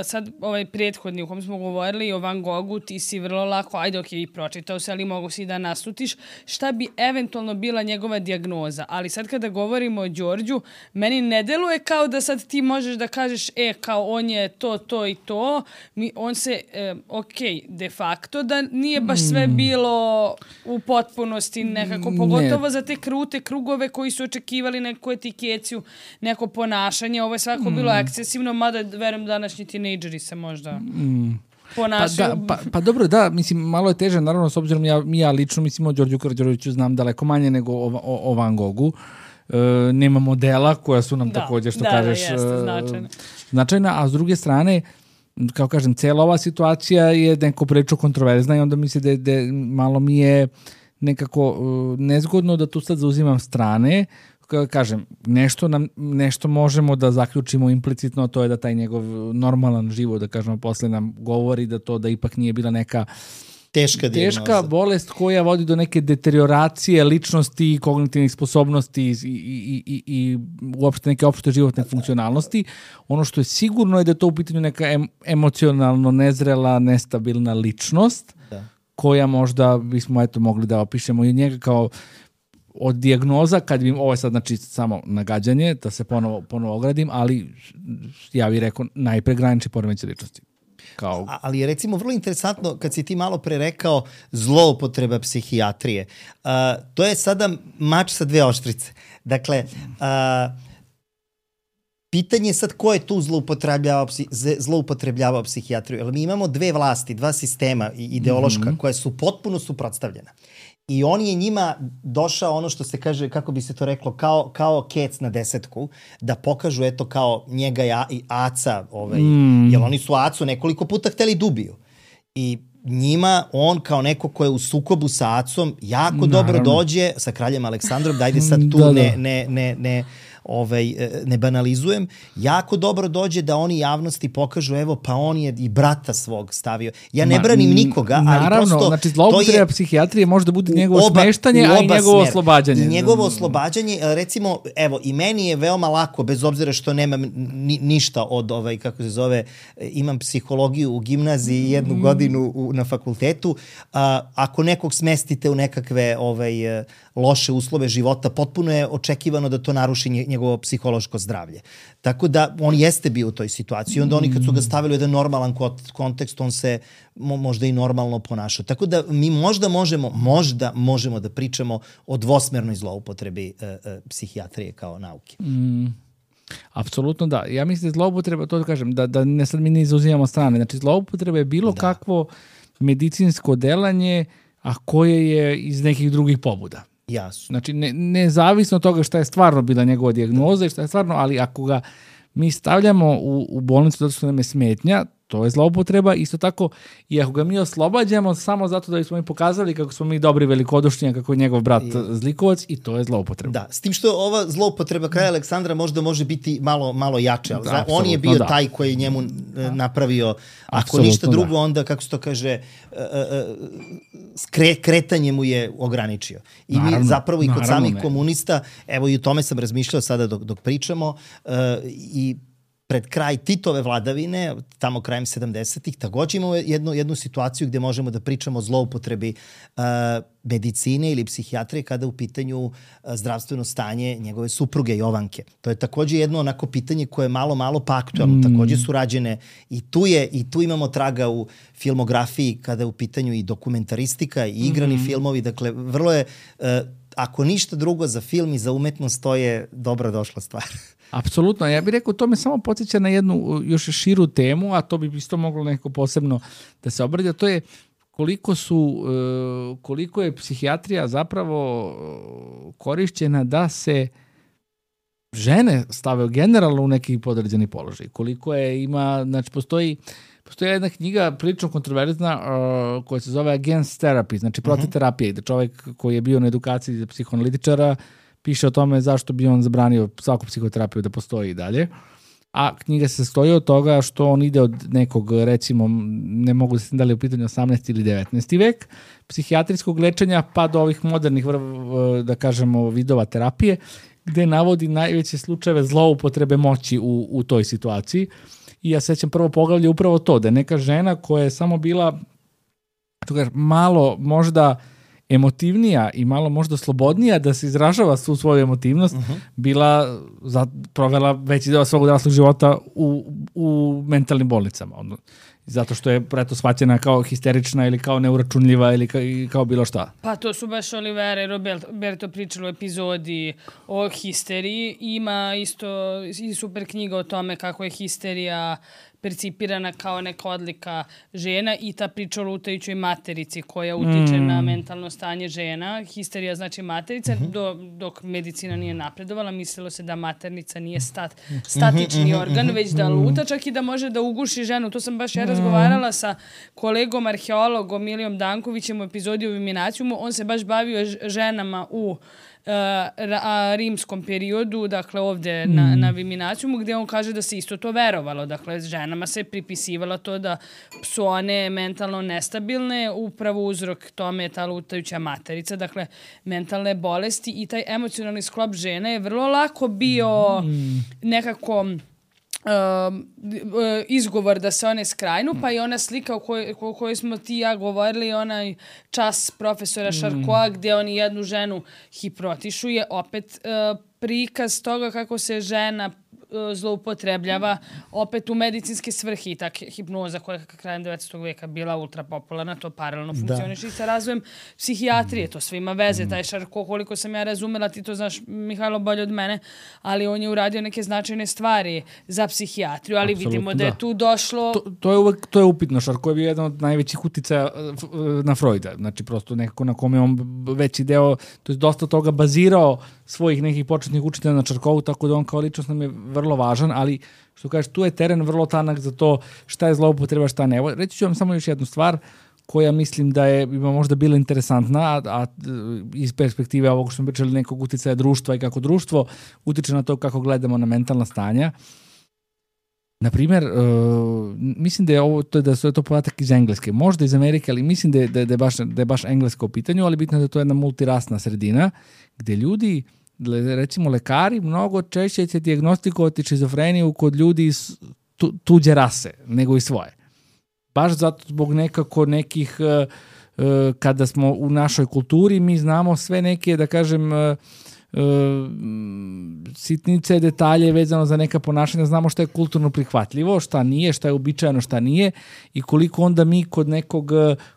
sad ovaj prethodni u kom smo govorili o Van Goghu, ti si vrlo lako, ajde ok, pročitao se, ali mogu si da naslutiš, šta bi eventualno bila njegova dijagnoza. Ali sad kada govorimo o Đorđu, meni ne deluje kao da sad ti možeš da kažeš, kao on je to i to. On se, de facto da nije baš sve bilo u potpunosti nekako, pogotovo za te krute krugove koji su očekivali neku etikeciju, neko ponašanje. Ovo je svako bilo ekscesivno, mada verujem današnji tinejdžeri se možda... ponašaju. Pa dobro, da, mislim, malo je teže, naravno, s obzirom ja lično, mislim, o Đorđu Karađorđeviću znam daleko manje nego o Van Goghu. Nema modela koja su nam također, što kažeš, značajna, a s druge strane, kao kažem, cijela ova situacija je neko prilično kontroverzna i onda misli da malo mi je nekako nezgodno da tu sad zauzimam strane. Kažem, nešto možemo da zaključimo implicitno, to je da taj njegov normalan život, da kažemo, posle nam govori da ipak nije bila neka teška bolest koja vodi do neke deterioracije ličnosti, kognitivnih sposobnosti i uopšte neke opšte životne funkcionalnosti. Ono što je sigurno je da je to u pitanju neka emocionalno nezrela, nestabilna ličnost koja možda bismo mogli da opišemo i njega kao od dijagnoza, kad bi, ovo je sad znači samo nagađanje, da se ponovo ogradim, ali ja bih rekao najpre granični poremećaj ličnosti. Ali je recimo vrlo interesantno kad si ti malo pre rekao zloupotreba psihijatrije. To je sada mač sa dve oštrice. Dakle, pitanje je sad ko je tu zloupotrebljavao psihijatriju. Jer mi imamo dve vlasti, dva sistema ideološka koja su potpuno suprotstavljena. I on je njima došao, ono što se kaže, kako bi se to reklo, kao kec na desetku, da pokažu, eto, kao njega i Aca, jer oni su Acu nekoliko puta hteli dubiju. I njima, on kao neko ko je u sukobu sa Acom, jako dobro dođe, sa kraljem Aleksandrom, dajde sad tu ne banalizujem, jako dobro dođe da oni javnosti pokažu, evo, pa on je i brata svog stavio. Ja ne branim nikoga, ali naravno, prosto... Znači, zloupotreba psihijatrije može da bude njegovo smeštanje, a i njegovo oslobađanje. I njegovo oslobađanje, recimo, evo, i meni je veoma lako, bez obzira što nemam ništa od, kako se zove, imam psihologiju u gimnaziji 1 godinu na fakultetu, ako nekog smestite u nekakve loše uslove života, potpuno je očekivano da to naruši njegovo psihološko zdravlje. Tako da on jeste bio u toj situaciji. Onda oni kad su ga stavili u jedan normalan kontekst, on se možda i normalno ponašao. Tako da mi možda možemo da pričamo o dvosmernoj zloupotrebi psihijatrije kao nauke. Apsolutno da. Ja mislim da zloupotreba, to da kažem, da ne sad mi ne izuzimamo strane. Znači zloupotreba je bilo kakvo medicinsko delanje, a koje je iz nekih drugih pobuda. Jasno. Znači, nezavisno od toga šta je stvarno bila njegova dijagnoza i šta je stvarno, ali ako ga mi stavljamo u bolnicu zato što nam je smetnja, to je zloupotreba. Isto tako, i ako ga mi oslobađamo samo zato da bismo mi pokazali kako smo mi dobri velikodušni, kako je njegov brat zlikovac, i to je zloupotreba. Da, s tim što ova zloupotreba kraja Aleksandra možda može biti malo jače, ali on je bio taj koji je njemu napravio, ako ništa drugo, onda, kako se to kaže, kretanje mu je ograničio. I mi zapravo i kod samih komunista, evo i o tome sam razmišljao sada dok pričamo, i pred kraj Titove vladavine, tamo krajem 70-ih, takođe imamo jednu situaciju gde možemo da pričamo o zloupotrebi medicine ili psihijatrije kada u pitanju zdravstveno stanje njegove supruge Jovanke. To je takođe jedno onako pitanje koje je malo pa aktualno. Takođe su rađene i tu imamo traga u filmografiji kada je u pitanju i dokumentaristika i igrani filmovi. Dakle, vrlo je, ako ništa drugo za film i za umetnost, to je dobro došla stvar. Apsolutno, ja bih rekao, to me samo podsjeća na jednu još širu temu, a to bi isto moglo neko posebno da se obradi, to je koliko je psihijatrija zapravo korišćena da se žene stave generalno u neki podređeni položaj. Koliko je znači postoji jedna knjiga prilično kontroverzna koja se zove Against Therapy, znači protiv terapije, da čovjek koji je bio na edukaciji za psihoanalitičara piše o tome zašto bi on zabranio svaku psihoterapiju da postoji i dalje. A knjiga se sastoji od toga što on ide od nekog, recimo, ne mogu da se da li u pitanju 18. ili 19. vek, psihijatrijskog lečenja pa do ovih modernih, da kažemo, vidova terapije, gde navodi najveće slučajeve zloupotrebe moći u toj situaciji. I ja sećam prvo poglavlje upravo to, da je neka žena koja je samo bila malo možda emotivnija i malo možda slobodnija da se izražava svu svoju emotivnost, provela veći deo svog odraslog života u mentalnim bolnicama. Zato što je preto shvaćena kao histerična ili kao neuračunljiva ili kao bilo šta. Pa to su baš Olivera i Roberto pričali u epizodi o histeriji. Ima isto i super knjiga o tome kako je histerija percipirana kao neka odlika žena i ta priča o lutajućoj materici koja utiče na mentalno stanje žena. Histerija znači materica, dok medicina nije napredovala, mislilo se da maternica nije statični organ, već da luta, čak i da može da uguši ženu. To sam baš razgovarala sa kolegom arheologom Milijom Dankovićem u epizodi o Viminacijumu. On se baš bavio ženama u rimskom periodu, dakle ovde na Viminacijumu, gde on kaže da se isto to verovalo. Dakle, ženama se pripisivalo to da su one mentalno nestabilne, upravo uzrok tome je ta lutajuća materica, dakle, mentalne bolesti i taj emocionalni sklop žene je vrlo lako bio nekako izgovor da se one skrajnu, pa i ona slika o kojoj smo ti i ja govorili, onaj čas profesora Šarkoa gde oni jednu ženu hipnotišu, je opet prikaz toga kako se žena zloupotrebljava opet u medicinske svrhe i tak hipnoza koja je krajem 19. veka bila ultra popularna, to paralelno funkcioniše i sa razvojem psihijatrije, to sve ima veze, taj Šarko, koliko sam ja razumela, ti to znaš, Mihajlo, bolje od mene, ali on je uradio neke značajne stvari za psihijatriju, ali vidimo da je tu došlo... To je upitno, Šarko je bio jedan od najvećih uticaja na Freuda, znači prosto nekako na kome on veći deo, to je dosta toga bazirao svojih nekih početnih učitelja na Šarkovu, tako da on kao ličnost nam je vrlo važan, ali što kažeš, tu je teren vrlo tanak za to šta je zloupotreba, šta ne. Reći ću vam samo još jednu stvar koja mislim da je možda bila interesantna, a iz perspektive ovog što smo pričali nekog uticaja društva i kako društvo utiče na to kako gledamo na mentalna stanja. Naprimjer, mislim da je to podatak iz Engleske, možda iz Amerike, ali mislim da je baš Engleska u pitanju, ali bitno je da to je jedna multirasna sredina gde ljudi, recimo lekari, mnogo češće će dijagnostikovati šizofreniju kod ljudi iz tuđe rase nego i svoje. Baš zato zbog nekih, kada smo u našoj kulturi, mi znamo sve neke, da kažem, sitnice, detalje vezano za neka ponašanja, znamo šta je kulturno prihvatljivo, šta nije, šta je uobičajeno, šta nije i koliko onda mi kod nekog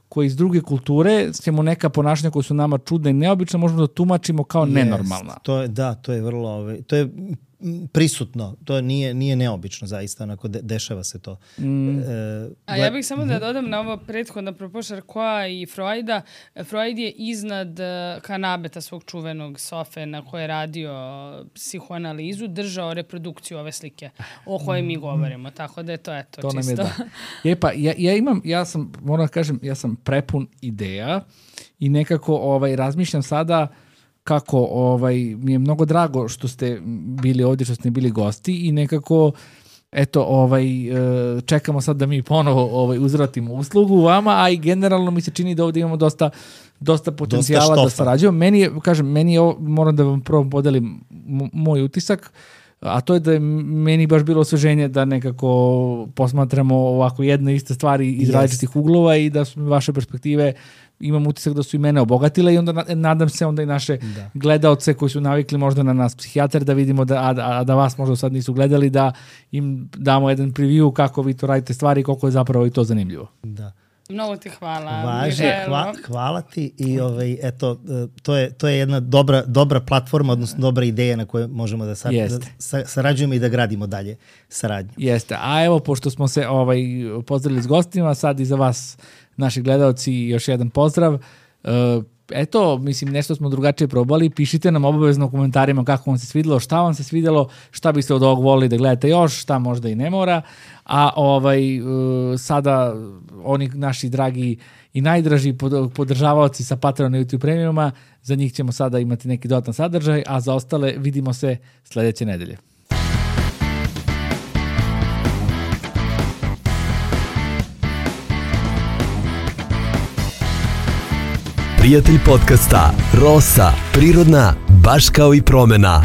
koji iz druge kulture ćemo neka ponašanja koja su nama čudne i neobične možemo da tumačimo kao nenormalna. To je vrlo, to je prisutno, to nije neobično zaista, onako dešava se to. A ja bih samo da dodam na ovo prethodno apropo Charcoa i Freuda. Freud je iznad kanabeta svog čuvenog sofe na koje je radio psihoanalizu, držao reprodukciju ove slike o kojoj mi govorimo, tako da je to eto to čisto. Nam je da. Ja sam, moram da kažem, ja sam prepun ideja i nekako razmišljam sada kako mi je mnogo drago što ste bili ovdje, što ste bili gosti i nekako eto, čekamo sad da mi ponovo uzvratimo uslugu vama, a i generalno mi se čini da ovdje imamo dosta potencijala da sarađujemo. Meni je ovo, moram da vam prvo podelim moj utisak, a to je da je meni baš bilo osveženje da nekako posmatramo ovako jedne iste stvari iz različitih uglova i da su vaše perspektive, imam utisak da su i mene obogatile i onda nadam se onda i naše gledaoce koji su navikli možda na nas psihijatar da vidimo da vas možda sad nisu gledali, da im damo jedan preview kako vi to radite stvari i koliko je zapravo i to zanimljivo. Da. Mnogo ti hvala. Hvala ti i eto, to je jedna dobra platforma, odnosno dobra ideja na kojoj možemo da sarađujemo i da gradimo dalje saradnju. Jeste, a evo pošto smo se pozdravili s gostima, sad i za vas naši gledalci još jedan pozdrav. Eto, mislim, nešto smo drugačije probali. Pišite nam obavezno u komentarima kako vam se svidjelo, šta vam se svidjelo, šta biste od ovog volili da gledate još, šta možda i ne mora. A sada oni naši dragi i najdraži podržavaoci sa Patreona i YouTube Premiuma, za njih ćemo sada imati neki dodatan sadržaj, a za ostale vidimo se sljedeće nedelje. Prijatelj podcasta Rosa, prirodna, baš kao i promena.